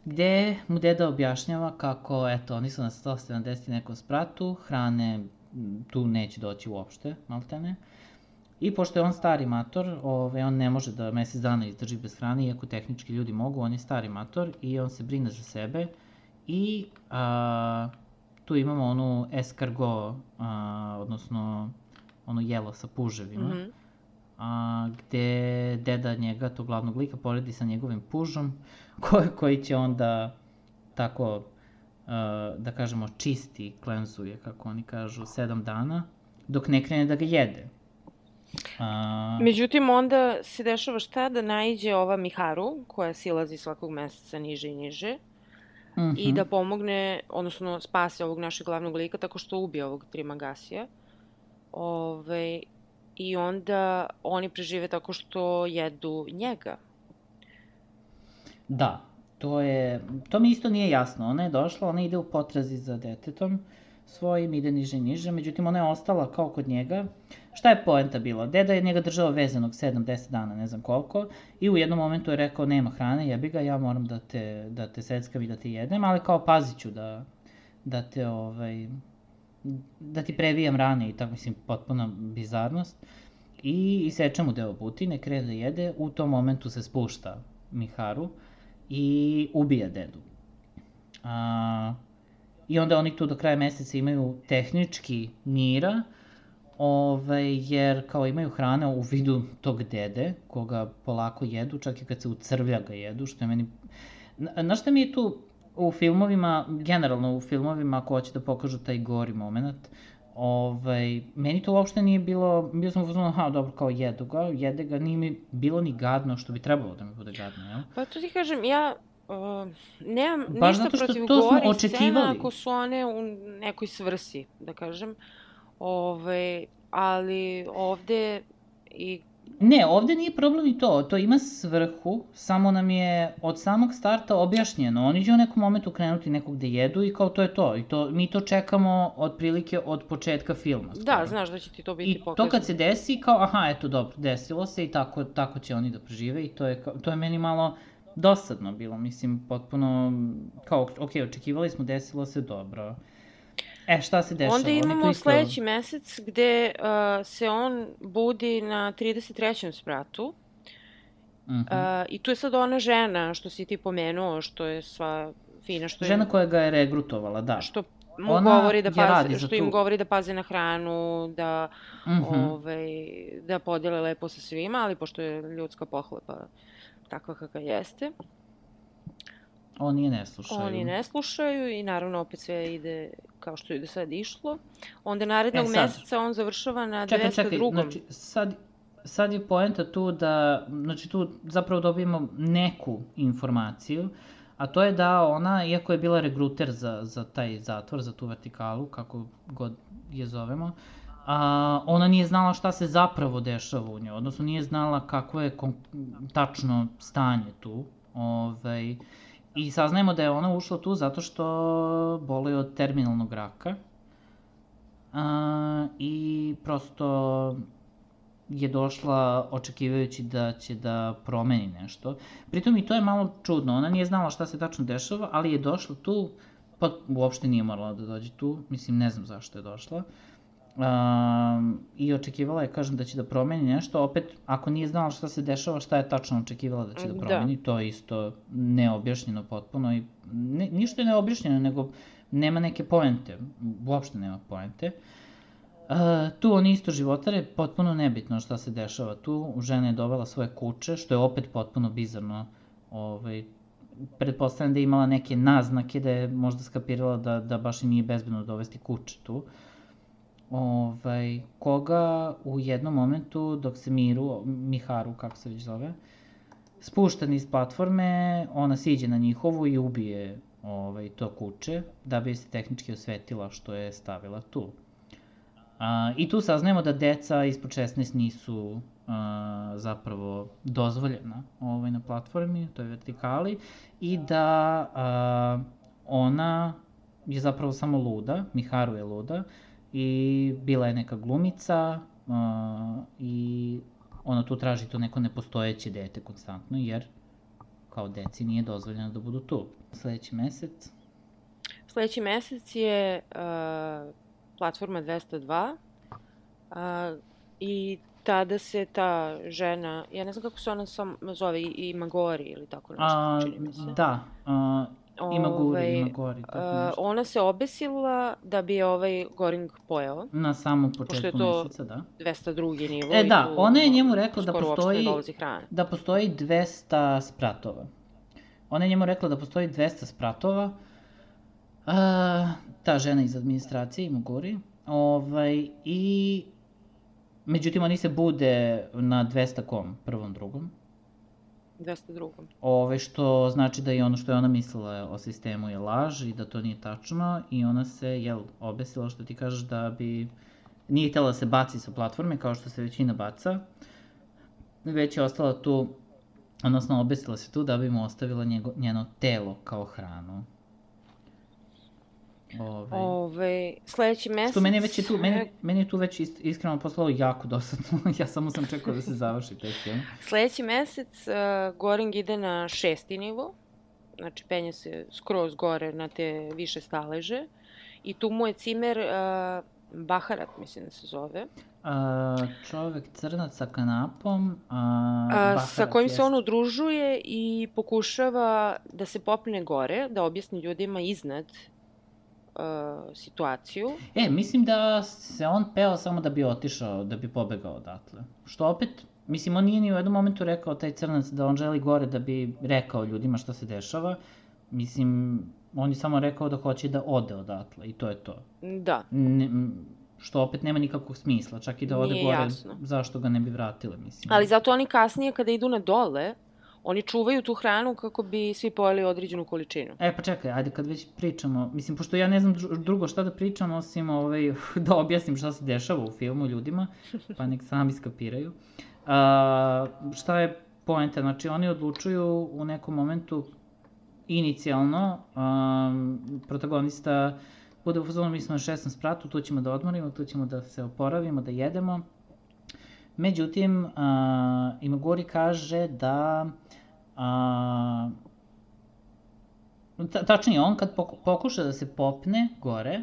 B: gde mu deda objašnjava kako, eto, oni su na sto sedamdeset nekom spratu, hrane tu neće doći uopšte, maltene. I pošto je on stari mator, ove, on ne može da mesec dana izdrži bez hrane, iako tehnički ljudi mogu, on je stari mator i on se brine za sebe. I a, tu imamo onu escargot, a, odnosno ono jelo sa puževima. Mm-hmm. A, gde deda njega, tog glavnog lika, poredi sa njegovim pužom, koji, koji će onda tako, a, da kažemo, čisti, klenzuje, kako oni kažu, sedam dana, dok ne krene da ga jede. A...
A: Međutim, onda se dešava šta? Da naiđe ova Miharu, koja silazi svakog meseca niže i niže, mm-hmm. i da pomogne, odnosno spase ovog našeg glavnog lika tako što ubije ovog Trimagasija. Ove... I onda oni prežive tako što jedu njega.
B: Da, to je, to mi isto nije jasno. Ona je došla, ona ide u potrazi za detetom svojim, ide niže i niže, međutim ona je ostala kao kod njega. Šta je poenta bila? Deda je njega držao vezanog sedam deset dana, ne znam koliko, i u jednom momentu je rekao nema hrane, jebi ga, ja moram da te, da te seckam i da te jedem, ali kao pazit ću da, da te ovaj... da ti previjam rane i tako, mislim, potpuna bizarnost. I iseče mu deo butine, krene da jede, u tom momentu se spušta Miharu i ubija dedu. A, I onda oni tu do kraja meseca imaju tehnički mira, ovaj, jer kao imaju hrane u vidu tog dede, koga polako jedu, čak i kad se ucrvlja ga jedu, što je meni... Znaš šta mi je tu u filmovima, generalno u filmovima, ako hoće da pokažu taj gori moment, ovaj, meni to uopšte nije bilo, bio sam uzmano, aha, dobro, kao jedu ga, jede ga, nije mi bilo ni gadno, što bi trebalo da mi bude gadno, jel?
A: Pa to ti kažem, ja uh, nemam baš ništa protiv gori scena ako su one u nekoj svrsi, da kažem, ovaj, ali ovde i...
B: Ne, ovde nije problem i to, to ima svrhu, samo nam je od samog starta objašnjeno, oni će u nekom momentu krenuti nekog gde jedu i kao to je to, i to, mi to čekamo otprilike od početka filma. Skoro.
A: Da, znaš da će ti to biti
B: I pokazano. I to kad se desi, kao aha, eto dobro, desilo se i tako, tako će oni da prežive i to je, to je meni malo dosadno bilo, mislim, potpuno, kao, ok, očekivali smo, desilo se, dobro. E, šta se dešava?
A: Onda imamo isto... sledeći mesec gde uh, se on budi na trideset trećem spratu. Uh-huh. Uh, I tu je sad ona žena, što si ti pomenuo, što je sva fina. Što
B: žena
A: je,
B: koja ga je regrutovala, da.
A: Što mu ona govori da paze, što tu... im govori da paze na hranu, da, uh-huh. ovaj, da podele lepo sa svima, ali pošto je ljudska pohlepa takva kakva jeste.
B: Oni je ne slušaju.
A: Oni ne slušaju i naravno opet sve ide kao što je do sad išlo. Onda narednog e, meseca on završava na dvesta drugom.
B: Čekaj, čekaj, znači sad, sad je poenta tu da, znači tu zapravo dobijemo neku informaciju, a to je da ona, iako je bila regruter za, za taj zatvor, za tu vertikalu, kako god je zovemo, a, ona nije znala šta se zapravo dešava u njoj, odnosno nije znala kakvo je kon, tačno stanje tu, ovaj... I saznajemo da je ona ušla tu zato što boluje od terminalnog raka. A, I prosto je došla očekivajući da će da promeni nešto. Pritom i to je malo čudno. Ona nije znala šta se tačno dešava, ali je došla tu, pa uopšte nije morala da dođe tu. Mislim, ne znam zašto je došla. Um, I očekivala je, kažem, da će da promeni nešto. Opet, ako nije znala šta se dešava, šta je tačno očekivala da će da promeni, da. To je isto neobjašnjeno potpuno i ne, ništa je neobjašnjeno, nego nema neke poente, uopšte nema poente. Uh, tu oni isto životare, potpuno nebitno šta se dešava tu, žena je dovela svoje kuće, što je opet potpuno bizarno, ovaj, pretpostavljam da je imala neke naznake da je možda skapirala da, da baš i nije bezbedno dovesti kuće tu. Ovaj, koga u jednom momentu, dok se Miru, Miharu, kako se već zove, spušta niz platforme, ona siđe na njihovu i ubije ovaj, to kuće, da bi se tehnički osvetila što je stavila tu. A, I tu saznajemo da deca ispod šesnaest nisu a, zapravo dozvoljena ovaj, na platformi, to je vertikali, i da a, ona je zapravo samo luda, Miharu je luda, i bila je neka glumica a, i ona tu traži to neko nepostojeće dete konstantno, jer kao deci nije dozvoljeno da budu tu. Sledeći mesec?
A: Sledeći mesec je uh, platforma dvesta dva uh, i tada se ta žena, ja ne znam kako se ona sam zove, i Magori ili tako nešto,
B: A,
A: čini mi se.
B: Da, a, Imaguri,
A: Ovaj,
B: Imagori, tako
A: uh,
B: nešto.
A: ona se obesila da bi je ovaj Goring pojao.
B: Na samom
A: Pošto je
B: početku
A: to
B: meseca, da.
A: dvesta drugi nivo.
B: E
A: i
B: da,
A: tu
B: ona je njemu rekla da
A: skoro uopšte ne
B: postoji,
A: dolazi hrana.
B: da postoji dvesta spratova. Ona je njemu rekla da postoji dvesta spratova. A, ta žena iz administracije, Imaguri. Ovaj, I međutim, oni se bude na dvesta kom, prvom, drugom.
A: dvesta drugom.
B: Ove, što znači da i ono što je ona mislila o sistemu je laž i da to nije tačno i ona se, jel, obesila, što ti kažeš, da bi nije htjela da se baci sa platforme kao što se većina baca, već je ostala tu, odnosno obesila se tu da bi mu ostavila njego, njeno telo kao hranu. Ove,
A: Ove, sledeći mesec...
B: Što meni je već je tu, meni, meni je tu već ist, iskreno poslalo jako dosadno, ja samo sam čekao da se završi taj film.
A: Sledeći mesec uh, Goring ide na šesti nivo, znači penje se skroz gore na te više staleže i tu mu je cimer uh, Baharat, mislim da se zove.
B: Uh, čovek crnac sa kanapom, uh,
A: uh, sa kojim se on udružuje i pokušava da se popne gore, da objasni ljudima iznad Uh, situaciju.
B: E, mislim da se on peo samo da bi otišao, da bi pobegao odatle. Što opet, mislim, on nije ni u jednom momentu rekao, taj crnac, da on želi gore da bi rekao ljudima šta se dešava. Mislim, on je samo rekao da hoće da ode odatle i to je to.
A: Da.
B: Ne, što opet nema nikakvog smisla, čak i da ode
A: nije
B: gore,
A: jasno.
B: Zašto ga ne bi vratile, mislim.
A: Ali zato oni kasnije, kada idu na dole, oni čuvaju tu hranu kako bi svi pojeli određenu količinu.
B: E, pa čekaj, ajde kad već pričamo, mislim, pošto ja ne znam drugo šta da pričam, osim ovaj, da objasnim šta se dešava u filmu ljudima, pa nek sami skapiraju. A, šta je poenta? Znači, oni odlučuju u nekom momentu, inicijalno, um, protagonista bude u fazonu, mi smo na šestom spratu, tu ćemo da odmorimo, tu ćemo da se oporavimo, da jedemo. Međutim, uh, Imaguri kaže da, uh, ta, tačnije on kad pokuša da se popne gore,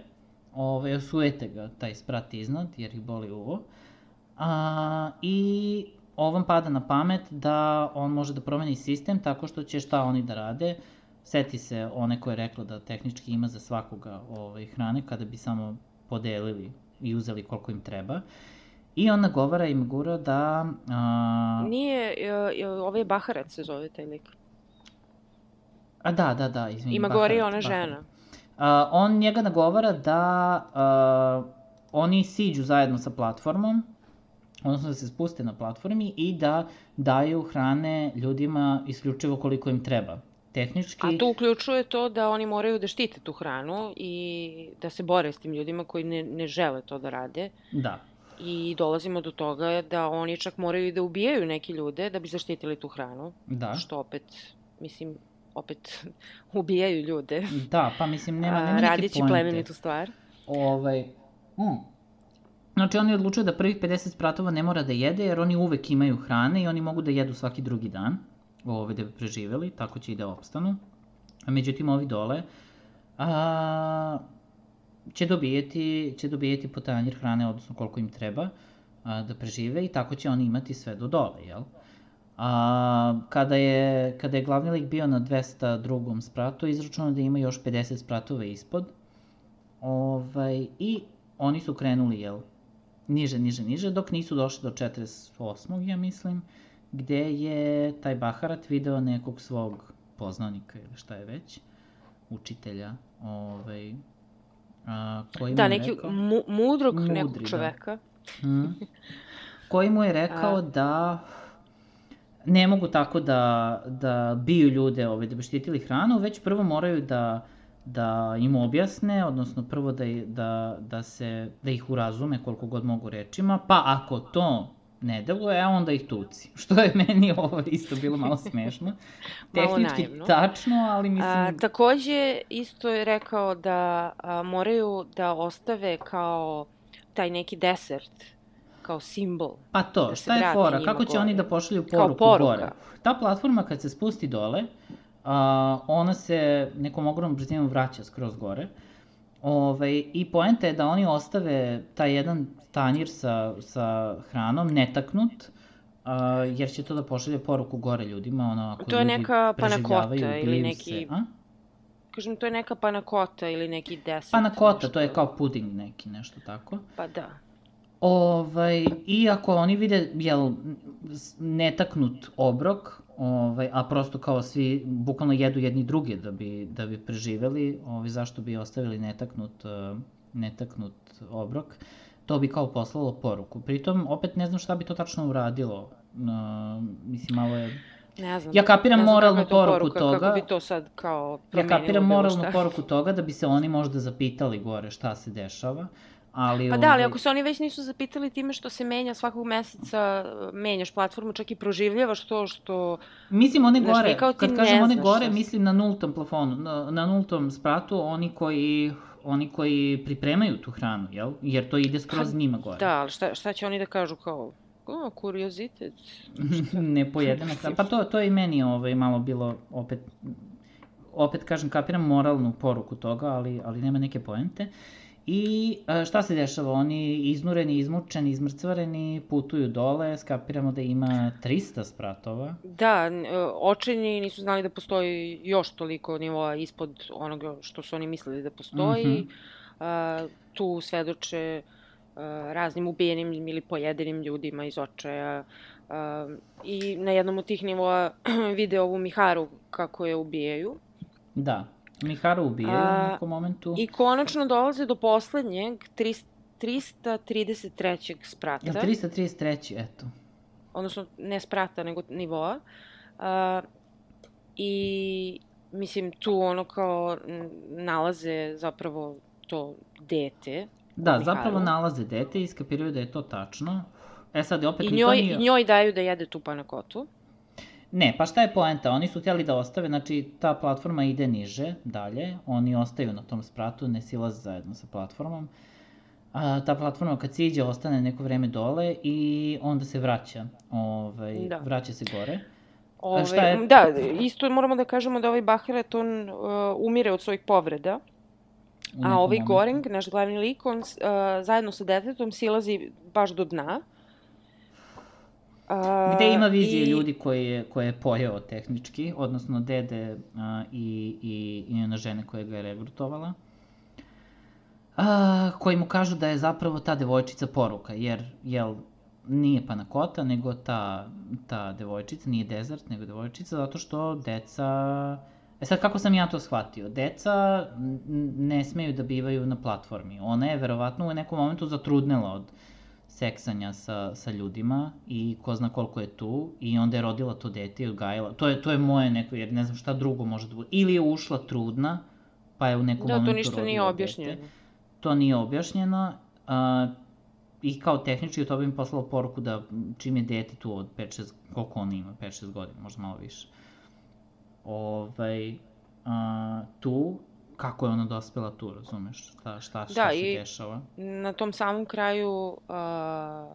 B: ovaj, osujete ga taj sprat iznad jer ih boli uvo, uh, i ovom pada na pamet da on može da promeni sistem tako što će šta oni da rade, seti se one koje je rekla da tehnički ima za svakoga ovaj, hrane kada bi samo podelili i uzeli koliko im treba. I on nagovara Imagura da... A...
A: Nije, ovaj je Baharat se zove taj lik.
B: A da, da, da, izvini.
A: Imaguri je ona žena.
B: A, on njega nagovara da a, oni siđu zajedno sa platformom, odnosno da se spuste na platformi i da daju hrane ljudima isključivo koliko im treba. Tehnički...
A: A to uključuje to da oni moraju da štite tu hranu i da se bore s tim ljudima koji ne, ne žele to da rade.
B: Da.
A: I dolazimo do toga da oni čak moraju da ubijaju neke ljude da bi zaštitili tu hranu.
B: Da.
A: Što opet, mislim, opet ubijaju ljude.
B: Da, pa mislim, nema, nema neke pointe.
A: Radeći plemenitu stvar.
B: Ovaj, mm. Znači, oni odlučuju da prvih pedeset spratova ne mora da jede, jer oni uvek imaju hrane i oni mogu da jedu svaki drugi dan, ovaj, da bi preživeli, tako će i da opstanu. A međutim, ovi dole... A... će dobijeti, će dobijeti po tanjir hrane, odnosno koliko im treba a, da prežive i tako će oni imati sve do dole, jel? A, kada, je, kada je glavni lik bio na dvesta drugom spratu, izračunao da ima još pedeset spratova ispod. Ovaj, I oni su krenuli, jel, niže, niže, niže, dok nisu došli do četrdeset osmog ja mislim, gde je taj Baharat video nekog svog poznanika ili šta je već, učitelja, ovaj, a, koji
A: da,
B: mu je
A: neki
B: rekao...
A: mu, mudrog
B: Mudri,
A: nekog čoveka.
B: Da. Hmm. Koji mu je rekao a... da ne mogu tako da, da biju ljude ovaj, da bi štitili hranu, već prvo moraju da, da im objasne, odnosno prvo da, da, da, se, da ih urazume koliko god mogu rečima, pa ako to ne deluje, e, onda ih tuci. Što je meni ovo isto bilo malo smešno. Tehnički naivno. Tačno, ali mislim...
A: A, takođe, isto je rekao da a, moraju da ostave kao taj neki desert, kao simbol.
B: Pa to, da šta je fora? Kako će gore. Oni da pošalju poruku gore? Ta platforma kad se spusti dole, a, ona se nekom ogromnom brzinom vraća skroz gore. Ove, I poenta je da oni ostave taj jedan tanjir sa, sa hranom netaknut, a, jer će to da pošalje poruku gore ljudima, ono, ako
A: to je
B: ljudi
A: neka
B: preživljavaju,
A: ili neki...
B: se. A?
A: Kažem, to je neka panakota ili neki desert.
B: Panakota, nešto... to je kao puding neki, nešto tako.
A: Pa da.
B: Ovaj, I ako oni vide, jel, netaknut obrok, ovaj, a prosto kao svi bukvalno jedu jedni druge da bi, da bi preživeli, ovaj, zašto bi ostavili netaknut, uh, netaknut obrok, to bi kao poslalo poruku. Pritom, opet ne znam šta bi to tačno uradilo. Uh, mislim, malo je...
A: Ne znam.
B: Ja kapiram
A: ne znam
B: moralnu
A: to
B: poruku
A: poruka,
B: toga.
A: Kako bi to sad kao promenilo.
B: Ja kapiram moralnu poruku toga da bi se oni možda zapitali gore šta se dešava. Ali,
A: pa da, ali ako se oni već nisu zapitali time što se menja svakog meseca, menjaš platformu, čak i proživljavaš to što...
B: Mislim one gore,
A: znaš,
B: kad kažem one gore, mislim na nultom plafonu, na, na nultom spratu, oni koji, oni koji pripremaju tu hranu, jel? Jer to ide skroz njima gore.
A: Da, ali šta, šta će oni da kažu kao, o, kuriozitet?
B: Ne pojedena hrana, pa to, to je i meni ovaj, malo bilo opet, opet kažem, kapiram moralnu poruku toga, ali, ali nema neke poente. I šta se dešava? Oni iznureni, izmučeni, izmrcvareni, putuju dole, skapiramo da ima trista spratova.
A: Da, očajni nisu znali da postoji još toliko nivoa ispod onoga što su oni mislili da postoji. Mm-hmm. Tu svedoče raznim ubijenim ili pojedenim ljudima iz očaja. I na jednom od tih nivoa vide ovu Miharu kako je ubijaju.
B: Da. Miharu ubijaju u nekom momentu.
A: I konačno dolaze do poslednjeg, trista trideset trećeg sprata.
B: Jel trista trideset treći, eto.
A: Odnosno, ne sprata, nego nivoa. A, I, mislim, tu ono kao nalaze zapravo to dete.
B: Da, zapravo nalaze dete i iskapiraju da je to tačno. E sad, opet...
A: I njoj, nije... njoj daju da jede tu panakotu.
B: Ne, pa šta je poenta? Oni su htjeli da ostave, znači ta platforma ide niže, dalje, oni ostaju na tom spratu, ne silaze zajedno sa platformom. A, ta platforma kad siđe ostane neko vreme dole i onda se vraća, ovaj, da. vraća se gore.
A: Ove, šta je... Da, isto moramo da kažemo da ovaj Baharat, on uh, umire od svojih povreda, a ovaj momentu. Goreng, naš glavni lik, on uh, zajedno sa detetom silazi baš do dna.
B: Uh, Gde ima vizije i... ljudi koje je, koje je pojeo tehnički, odnosno dede uh, i, i, i njena žene koja ga je regrutovala, uh, koji mu kažu da je zapravo ta devojčica poruka, jer jel, nije panakota, nego ta, ta devojčica, nije dezert, nego devojčica, zato što deca... E sad, kako sam ja to shvatio? Deca ne smeju da bivaju na platformi. Ona je verovatno u nekom momentu zatrudnela od seksanja sa, sa ljudima i ko zna koliko je tu i onda je rodila to dete i odgajala. To je, to je moje neko, jer ne znam šta drugo može da bude. Ili je ušla trudna, pa je u nekom da, momentu rodila dete. Da, to ništa nije objašnjeno. Dete. To nije objašnjeno. Uh, I kao tehnički od toga im poslalo poruku da čim je dete tu od pet šest, koliko ona ima, pet šest godina, možda malo više. Ovaj, uh, tu, kako je ona dospela tu, razumeš, šta, šta, šta da, se dešava.
A: Da, i na tom samom kraju uh,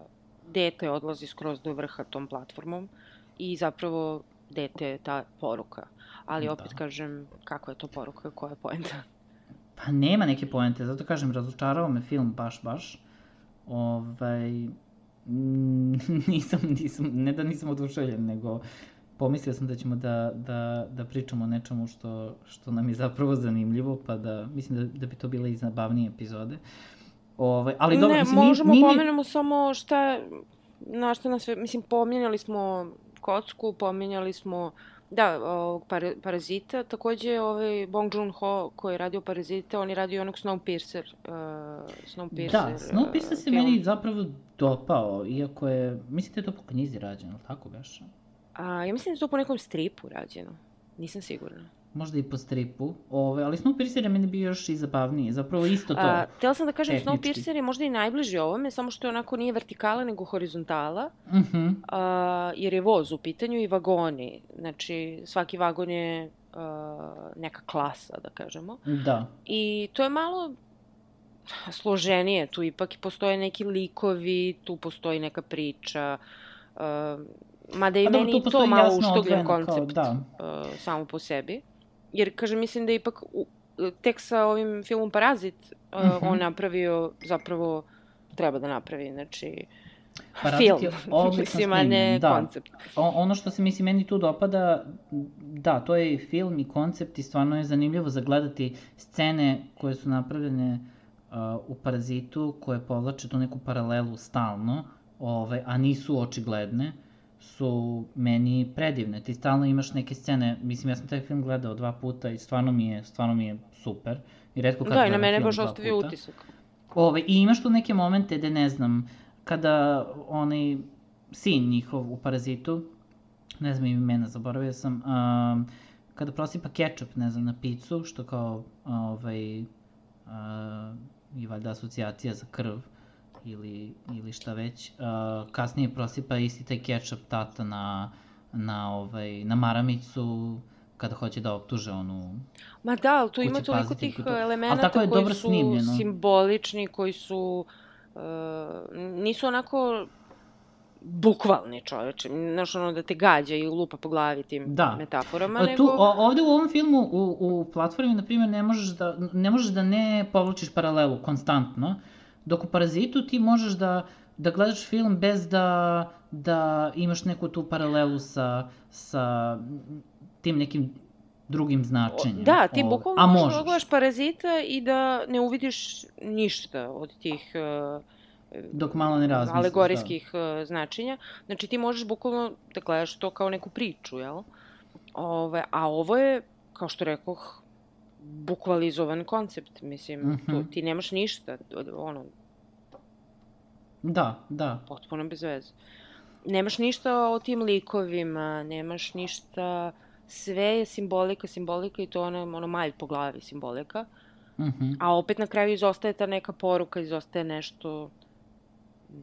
A: dete odlazi skroz do vrha tom platformom i zapravo dete je ta poruka. Ali opet da. Kažem, kako je to poruka, koja je poenta?
B: Pa nema neke poente, zato kažem, razočarao me film baš, baš. Ovaj, mm, nisam, nisam, ne da nisam oduševljen, nego pomislio sam da ćemo da, da, da pričamo o nečemu što, što nam je zapravo zanimljivo, pa da, mislim da, da bi to bile i zabavnije epizode. Ove, ali dobro,
A: ne,
B: mislim,
A: možemo
B: nije,
A: pomenemo samo šta, na šta nas sve, mislim, pominjali smo Kocku, pominjali smo, da, ovog par, Parazita, takođe ovaj Bong Joon-ho koji je radio Parazita, on je radio onog Snowpiercer, uh, Snowpiercer
B: Da, Snowpiercer se
A: film.
B: meni zapravo dopao, iako je, mislim da je to po knjizi rađeno, tako beše?
A: A, ja mislim da je to po nekom stripu rađeno, nisam sigurna.
B: Možda i po stripu, ove, ali Snowpiercer je meni bio još i zabavniji, zapravo isto to.
A: A, htjela sam da kažem,
B: tehnički.
A: Snowpiercer je možda i najbliži ovome, samo što je onako nije vertikala, nego horizontala,
B: Uh-huh.
A: a, jer je voz u pitanju i vagoni. Znači, svaki vagon je a, neka klasa, da kažemo.
B: Da.
A: I to je malo složenije, tu ipak postoje neki likovi, tu postoji neka priča, a, mada i
B: A dobro,
A: meni
B: tu
A: to
B: postoji
A: malo
B: jasno
A: uštugljen
B: odvojeno kao,
A: koncept
B: da.
A: a, samo po sebi. Jer, kažem, mislim da je ipak u, tek sa ovim filmom Parazit uh,
B: Mhm.
A: on napravio, zapravo treba da napravi, znači,
B: Parazit
A: film,
B: je odlično
A: mislim, a ne
B: snimljen, da.
A: koncept.
B: O, ono što se mislim meni tu dopada, da, to je i film i koncept i stvarno je zanimljivo zagledati scene koje su napravljene uh, u Parazitu, koje povlače tu neku paralelu stalno, ove, a nisu očigledne, su meni predivne. Ti stalno imaš neke scene, mislim ja sam taj film gledao dva puta i stvarno mi je, stvarno mi je super. I retko kad
A: Da, i na
B: gledam
A: mene
B: film
A: baš
B: dva
A: ostavio
B: puta.
A: utisak.
B: Ove, I imaš tu neke momente gde, ne znam, kada onaj sin njihov u Parazitu, ne znam imena, zaboravio sam, um, kada prosipa kečap, ne znam, na picu, što kao, ovaj, uh, i valjda asocijacija za krv, ili, ili šta već, uh, kasnije prosipa isti taj kečap tata na, na, ovaj, na maramicu, kada hoće da optuže onu...
A: Ma da, ali tu ima
B: Kuće
A: toliko
B: paziti
A: tih
B: i to. Ali
A: elemenata
B: tako je
A: koji
B: dobro
A: su
B: snimljeno.
A: simbolični, koji su, uh, nisu onako bukvalni, čoveče, znaš, ono da te gađa i lupa po glavi tim
B: Da.
A: metaforama,
B: A
A: nego...
B: Tu, o, ovde u ovom filmu, u, u platformi, na primjer, ne možeš da, ne možeš da ne povlačiš paralelu konstantno, dok u Parazitu ti možeš da, da gledaš film bez da, da imaš neku tu paralelu sa, sa tim nekim drugim značenjem.
A: Da, ti
B: Ove,
A: bukvalno
B: a
A: možeš
B: možeš.
A: da gledaš Parazita i da ne uvidiš ništa od tih uh,
B: Dok malo ne razmisliš,
A: alegorijskih uh, značenja. Znači ti možeš bukvalno da gledaš to kao neku priču, jel? Ove, a ovo je, kao što rekoh, bukvalizovan koncept, mislim,
B: Mhm.
A: tu, ti nemaš ništa, od- ono,
B: Da, da.
A: potpuno bez veze. Nemaš ništa o tim likovima, nemaš ništa, sve je simbolika, simbolika i to ono, ono malj po glavi simbolika.
B: Mhm.
A: A opet na kraju izostaje ta neka poruka, izostaje nešto, mm,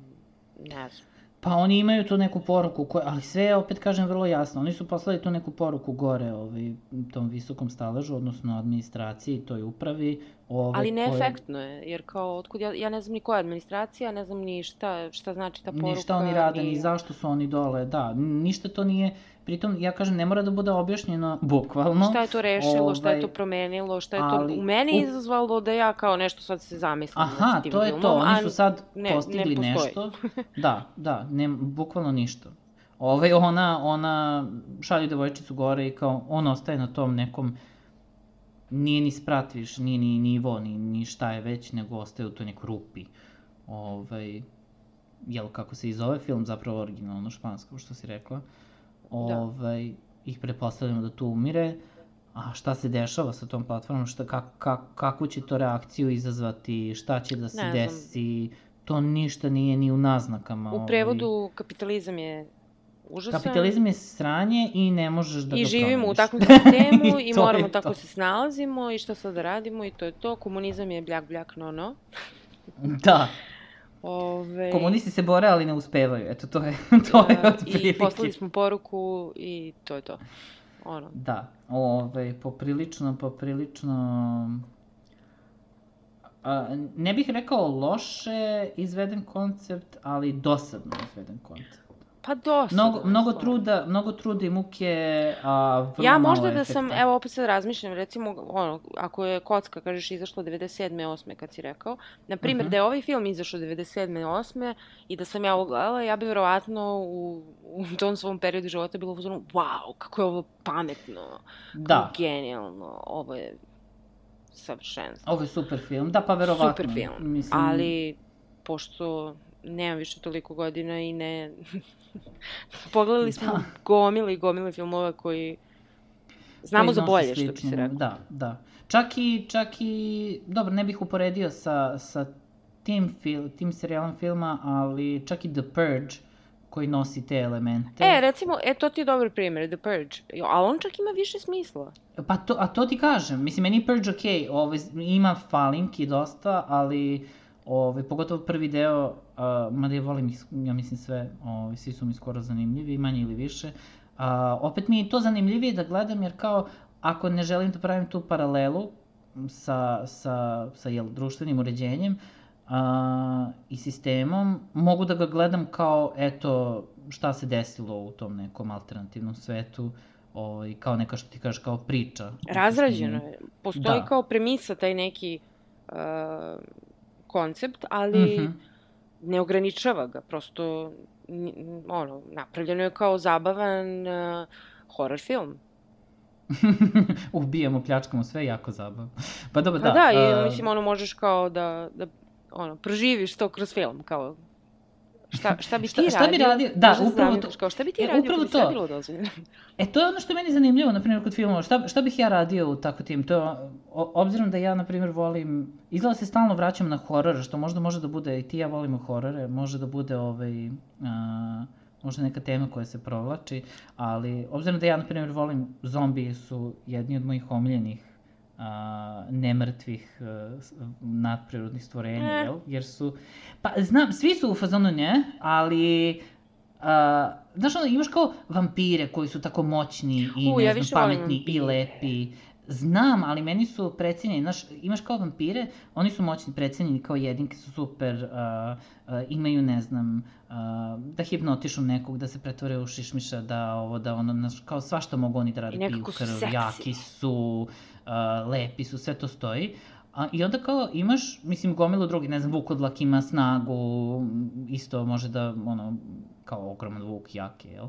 A: ne znam.
B: Pa oni imaju tu neku poruku, koja, ali sve je, opet kažem, vrlo jasno. Oni su poslali tu neku poruku gore ovaj, tom visokom staležu, odnosno administraciji, toj upravi. Ove,
A: Ali
B: koje-
A: neefektno je, jer kao, otkud ja, ja ne znam ni koja je administracija, ne znam ni šta, šta znači ta poruka.
B: Ni šta oni rade, ni zašto su oni dole, da, ništa to nije, pritom, ja kažem, ne mora da bude objašnjeno bukvalno.
A: Šta je to rešilo, šta je to
B: Ovaj,
A: promenilo, šta je to
B: ali
A: u meni
B: u-
A: izazvalo da ja kao nešto sad se zamislim
B: Aha,
A: nad tim
B: to je
A: filmom,
B: to, oni
A: a
B: su sad
A: ne-
B: postigli
A: ne postoji.
B: nešto. Da, da, ne, bukvalno ništa. Ove, ona, ona šalje devojčicu gore i kao, on ostaje na tom nekom, nije ni sprat više, nije ni nivo, ni, ni šta je već, nego ostaje u toj nekoj rupi. Ovaj, jel, kako se i zove film, zapravo originalno špansko, što si rekla. Ovaj, ih pretpostavljamo da tu umire. A šta se dešava sa tom platformom, šta, kak, kak, kakvu će to reakciju izazvati, šta će da se
A: Ne znam.
B: desi, to ništa nije ni u naznakama.
A: U prevodu kapitalizam je užasan.
B: Kapitalizam je sranje i ne možeš da ga
A: I
B: promeniš.
A: živimo u takvom sistemu i
B: to je
A: moramo
B: to.
A: tako se snalazimo i šta sad da radimo i to je to. Komunizam je bljak, bljak, no, no.
B: Da,
A: Ove,
B: komunisti se bore, ali ne uspevaju, eto to je, to je
A: a,
B: otprilike.
A: I poslali smo poruku i to je to. Ono.
B: Da, ove, poprilično, poprilično... A, ne bih rekao loše izveden koncept, ali dosadno izveden koncept.
A: Pa dosta.
B: Mnogo, mnogo truda, mnogo truda i muke, a vrlo
A: Ja
B: malo
A: možda da
B: efekta.
A: sam, evo opet sad razmišljam, recimo, ono, ako je Kocka, kažeš, izašla devedeset sedme osme kad si rekao, na primjer,
B: Mhm.
A: da je ovaj film izašao devedeset sedme osme i da sam ja ovo gledala, ja bi verovatno u, u tom svom periodu života bilo u fazonu, wow, kako je ovo pametno,
B: Da.
A: kako genijalno, ovo je savršenstvo.
B: Ovo je super film, da, pa verovatno.
A: Super film,
B: Mislim...
A: ali pošto nemam više toliko godina i ne... Pogledali smo
B: Da.
A: gomile i gomile filmova koji znamo
B: koji
A: za
B: nose
A: bolje, što bi se
B: sličnu-
A: rekao.
B: Da, da. Čak i, čak i, dobro, ne bih uporedio sa, sa tim, fil, tim serijalom filma, ali čak i The Purge, koji nosi te elemente.
A: E, recimo, e, to ti je dobar primjer, The Purge, Jo, ali on čak ima više smisla.
B: Pa to, a to ti kažem, mislim, meni je Purge okej, ovaj, ima falinki dosta, ali ovaj, pogotovo prvi deo, uh, mada ja volim ih, ja mislim sve, ovaj, svi su mi skoro zanimljivi, manje ili više. Uh, opet mi je to zanimljivije da gledam, jer kao, ako ne želim da pravim tu paralelu sa, sa, sa jel, društvenim uređenjem, Uh, i sistemom, mogu da ga gledam kao, eto, šta se desilo u tom nekom alternativnom svetu, ovaj, kao neka, što ti kažeš, kao priča.
A: Razrađeno je. Postoji
B: Da.
A: kao premisa taj neki uh, koncept, ali
B: Mhm.
A: ne ograničava ga, prosto, n- ono, napravljeno je kao zabavan uh, horror film.
B: Ubijamo, pljačkamo, sve jako zabavno. Pa dobro,
A: Pa
B: da.
A: da, i
B: uh,
A: mislim, ono, možeš kao da, da ono, proživiš to kroz film, kao, šta, šta bi ti
B: Šta-
A: radio?
B: šta bi radio? Da,
A: Možda se
B: upravo
A: zamisliš
B: to.
A: Kao, šta bi ti
B: E,
A: radio
B: upravo
A: kad bi sve
B: to.
A: bilo dozvoljeno?
B: E, to je ono što je meni zanimljivo, na primjer, kod filmova. Šta, šta bih ja radio u tako tim? To, je, o, obzirom da ja, na primjer, volim... Izgleda se stalno vraćam na horor, što možda može da bude, i ti i ja volimo horore, može da bude ovaj... A, možda neka tema koja se provlači, ali obzirom da ja, na primjer, volim, zombiji su jedni od mojih omiljenih a, nemrtvih a, s- nadprirodnih stvorenja,
A: Eh.
B: jel? Jer su... Pa, znam, svi su u fazonu nje, ali... A, znaš, ono, imaš kao vampire koji su tako moćni i,
A: U,
B: ne
A: ja
B: znam,
A: više volim
B: pametni i
A: vampire.
B: lepi. Znam, ali meni su precenjeni, znaš, imaš kao vampire, oni su moćni, precenjeni, kao jedinke su super, a, a, imaju, ne znam, a, da hipnotišu nekog, da se pretvore u šišmiša, da ovo, da ono, znaš, kao svašta mogu oni da rade,
A: I
B: piju
A: nekako su
B: krv,
A: seksi.
B: jaki su, a, lepi su, sve to stoji. A, I onda kao imaš, mislim, gomilu drugi, ne znam, vukodlak ima snagu, m, isto može da, ono, kao ogroman vuk, jake, jel?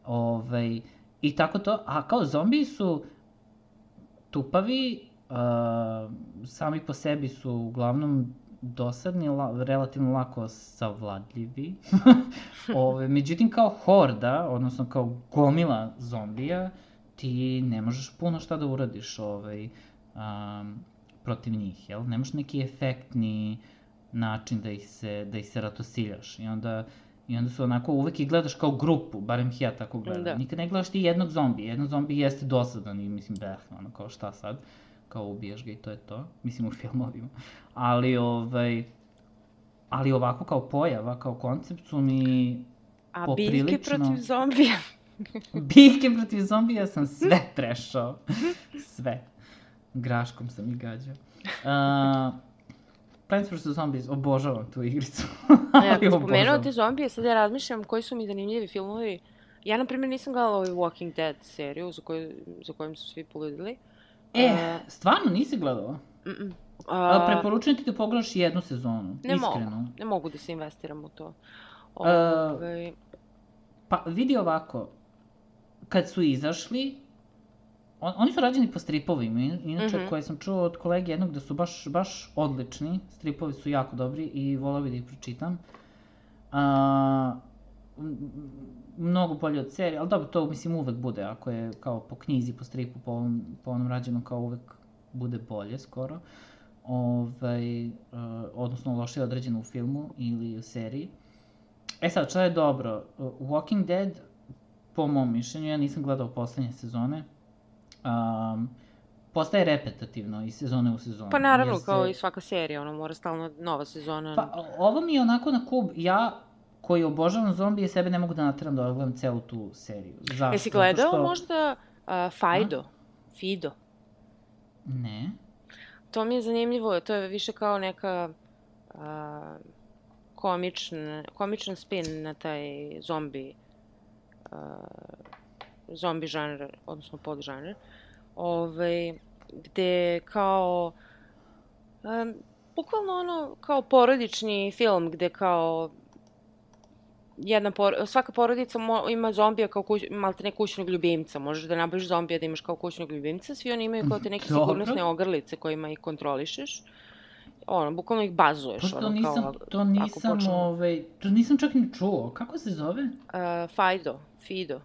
B: Ovaj, I tako to, a kao zombiji su tupavi, a, sami po sebi su uglavnom dosadni, la, relativno lako savladljivi. Ove, međutim, kao horda, odnosno kao gomila zombija, ti ne možeš puno šta da uradiš ovaj, um, protiv njih, jel? Nemaš neki efektni način da ih se, da ih se ratosiljaš. I onda, I onda su onako, uvek ih gledaš kao grupu, barem ih ja tako gledam.
A: Da.
B: Nikad ne gledaš ti jednog zombija. Jedan zombi jeste dosadan i mislim, beh, ono, kao šta sad? Kao ubijaš ga i to je to. Mislim, u filmovima. Ali, ovaj, ali ovako kao pojava, kao koncept su mi
A: A
B: poprilično...
A: biljke protiv zombija?
B: Biljke protiv zombija sam sve trešao. Sve. Graškom sam ih gađao. Uh, Plants versus. Zombies, obožavam tu igricu.
A: Ja,
B: Ali
A: kad spomenuo
B: obožavam.
A: te zombije, sad ja razmišljam koji su mi zanimljivi filmovi. Ja, na primjer, nisam gledala ovaj Walking Dead seriju za, koju, za kojim su svi poludili.
B: E, stvarno nisi gledala?
A: Mm-mm.
B: A,
A: A,
B: preporučujem ti da pogledaš jednu sezonu,
A: ne
B: iskreno.
A: mogu, ne mogu da se investiram u to.
B: A,
A: Ovaj,
B: Pa vidi ovako, kad su izašli, on, oni su rađeni po stripovima, in- inače
A: Mhm.
B: koje sam čuo od kolege jednog da su baš, baš odlični, stripovi su jako dobri i volao bih da ih pročitam. A, m- m- mnogo bolje od serije, ali dobro, to mislim uvek bude, ako je kao po knjizi, po stripu, po ovom, po onom rađenom, kao uvek bude bolje skoro. Ovaj, uh, odnosno loše određeno u filmu ili u seriji. E sad, šta je dobro? Uh, Walking Dead, po mom mišljenju, ja nisam gledao poslednje sezone, um, postaje repetativno iz sezone u sezonu.
A: pa naravno,
B: jer se-
A: kao i svaka serija, ono, mora stalno nova sezona.
B: Pa, o- ovo mi je onako na kub, ja koji obožavam zombije, sebe ne mogu da nateram da gledam celu tu seriju. Zašto?
A: Jesi
B: Zato
A: gledao
B: što-
A: možda uh, Fido? Fido?
B: Ne.
A: To mi je zanimljivo, to je više kao neka uh, komična, komičan spin na taj zombi uh, zombi žanr, odnosno podžanr, ovaj, gde kao, um, bukvalno ono, kao porodični film, gde kao jedna por svaka porodica mo ima zombija kao kuć malte ne kućnog ljubimca. Možeš da nabaviš zombija da imaš kao kućnog ljubimca, svi oni imaju kao te neke sigurnosne ogrlice kojima ih kontrolišeš. Ono, bukvalno ih bazuješ.
B: Pa to
A: ono,
B: nisam,
A: kao,
B: to nisam, počne... ovaj, to nisam čak ni čuo. Kako se zove?
A: Uh, Fido, Fido.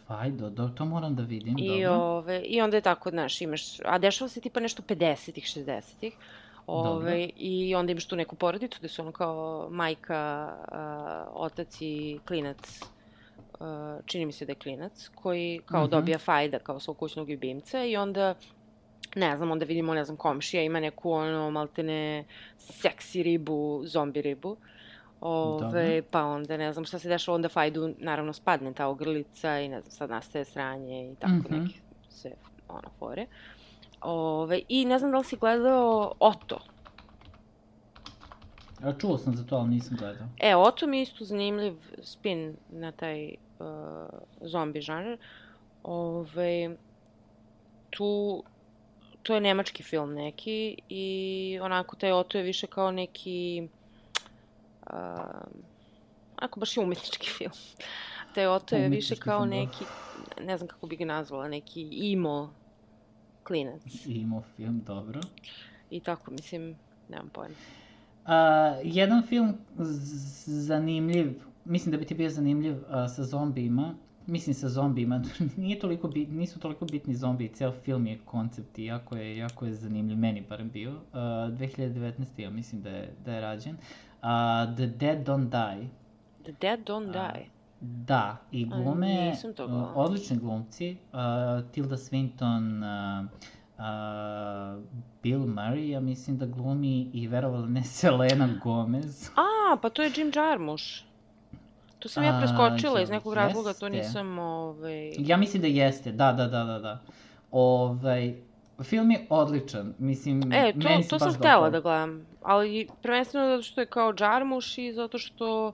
B: Fido, do, to moram da vidim,
A: I,
B: dobro.
A: Ove, I onda je tako, znaš, imaš, a dešava se tipa nešto pedesetih, šezdesetih. Ove, I onda imaš tu neku porodicu gde su ono kao majka, uh, otac i klinac, uh, čini mi se da je klinac, koji kao uh-huh. dobija Fajda kao svog kućnog ljubimca i onda, ne znam, onda vidimo, ne znam, komšija ima neku ono maltene seksi ribu, zombi ribu. Ove, pa onda, ne znam šta se dešava, onda Fajdu naravno spadne ta ogrlica i ne znam, sad nastaje sranje i tako uh-huh. neke sve ono fore. Ove, I ne znam da li si gledao Oto.
B: Ja čuo sam za to, ali nisam gledao.
A: E, Oto mi je isto zanimljiv spin na taj uh, zombi žanr. Ove, tu, to je nemački film neki i onako taj Oto je više kao neki, uh, onako baš je umetnički film. Taj Oto je više kao neki, ne znam kako bi ga nazvala, neki emo klinac.
B: Emo film, dobro.
A: I tako, mislim, nemam pojma.
B: Uh, jedan film zanimljiv, mislim da bi ti bio zanimljiv uh, sa zombijima, mislim sa zombijima, nije toliko bit, nisu toliko bitni zombiji, ceo film je koncept i jako je, jako je zanimljiv, meni barem bio. Uh, dve hiljade devetnaeste. ja mislim da je, da je rađen. Uh, The Dead Don't Die.
A: The Dead Don't Die? Uh,
B: da, i glume,
A: uh,
B: odlični glumci, uh, Tilda Swinton, uh, Uh, Bill Murray, ja mislim da glumi i verovala ne Selena Gomez.
A: A, pa to je Jim Jarmusch. To sam ja preskočila uh, iz nekog
B: jeste.
A: razloga, to nisam... Ovaj...
B: Ja mislim da jeste, da, da, da, da. da. Ovaj, film je odličan, mislim,
A: e, to,
B: meni se
A: to
B: baš
A: sam htela da gledam, ali prvenstveno zato što je kao Jarmusch i zato što...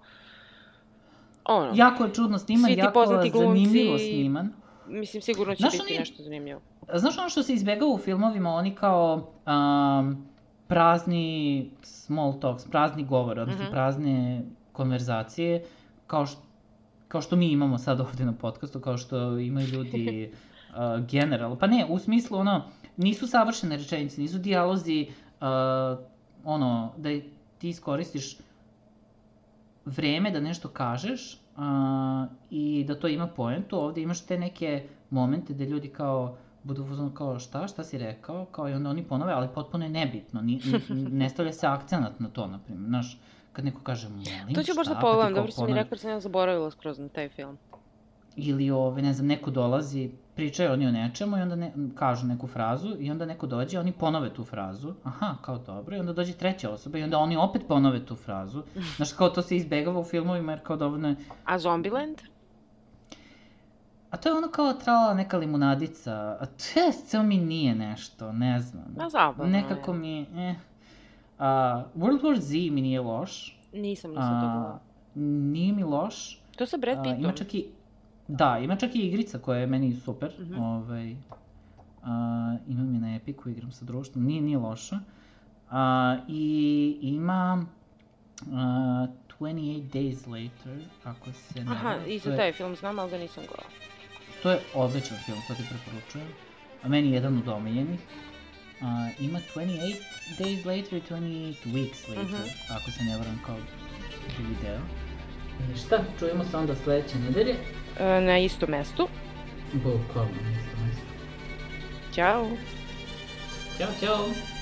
A: Ono,
B: jako je čudno sniman, jako zanimljivo sniman.
A: Mislim, sigurno će
B: Znaš,
A: biti
B: oni...
A: nešto zanimljivo.
B: Znaš ono što se izbjegava u filmovima, oni kao um, prazni small talks, prazni govor, odnosno mm-hmm. prazne konverzacije, kao, š, kao što mi imamo sad ovdje na podcastu, kao što imaju ljudi uh, generalno. Pa ne, u smislu, ono, nisu savršene rečenice, nisu dijalozi, uh, ono, da ti iskoristiš vreme da nešto kažeš uh, i da to ima poentu. Ovdje imaš te neke momente gde ljudi kao budu kao šta, šta si rekao, kao i onda oni ponove, ali potpuno je nebitno, ni, ne stavlja se akcenat na to, na primjer, znaš, kad neko kaže molim, šta,
A: to ću baš da pogledam, dobro si mi rekao, sam ja zaboravila skroz na taj film.
B: Ili, ove, ne znam, neko dolazi, pričaju oni o nečemu i onda ne, kažu neku frazu i onda neko dođe, oni ponove tu frazu, aha, kao dobro, i onda dođe treća osoba i onda oni opet ponove tu frazu, znaš, kao to se izbegava u filmovima jer kao dovoljno je...
A: A Zombieland?
B: A to je ono kao trala neka limunadica, a to je, ceo mi nije nešto, ne znam.
A: Na zabavno.
B: Nekako mi je, eh. Uh, World War Z mi nije loš.
A: Nisam, nisam to gledala.
B: Nije mi loš.
A: To sa Brad Pittom.
B: Uh, ima čak i, da, ima čak i igrica koja je meni super. Mm-hmm. Ovaj, uh, imam je na Epiku, igram sa društvom, nije, nije loša. Uh, I ima uh, twenty-eight days later, ako se ne...
A: Aha, i za taj film znam, ali ga nisam gledala.
B: To je odličan film, to ti preporučujem. A meni je jedan od omiljenih. Uh, ima twenty-eight days later i twenty-eight weeks later, uh-huh. ako se ne varam kao drugi deo. I šta, čujemo se onda sledeće nedelje?
A: E, na istom mestu.
B: Bukvalno na istom mestu.
A: Ćao.
B: Ćao, ćao.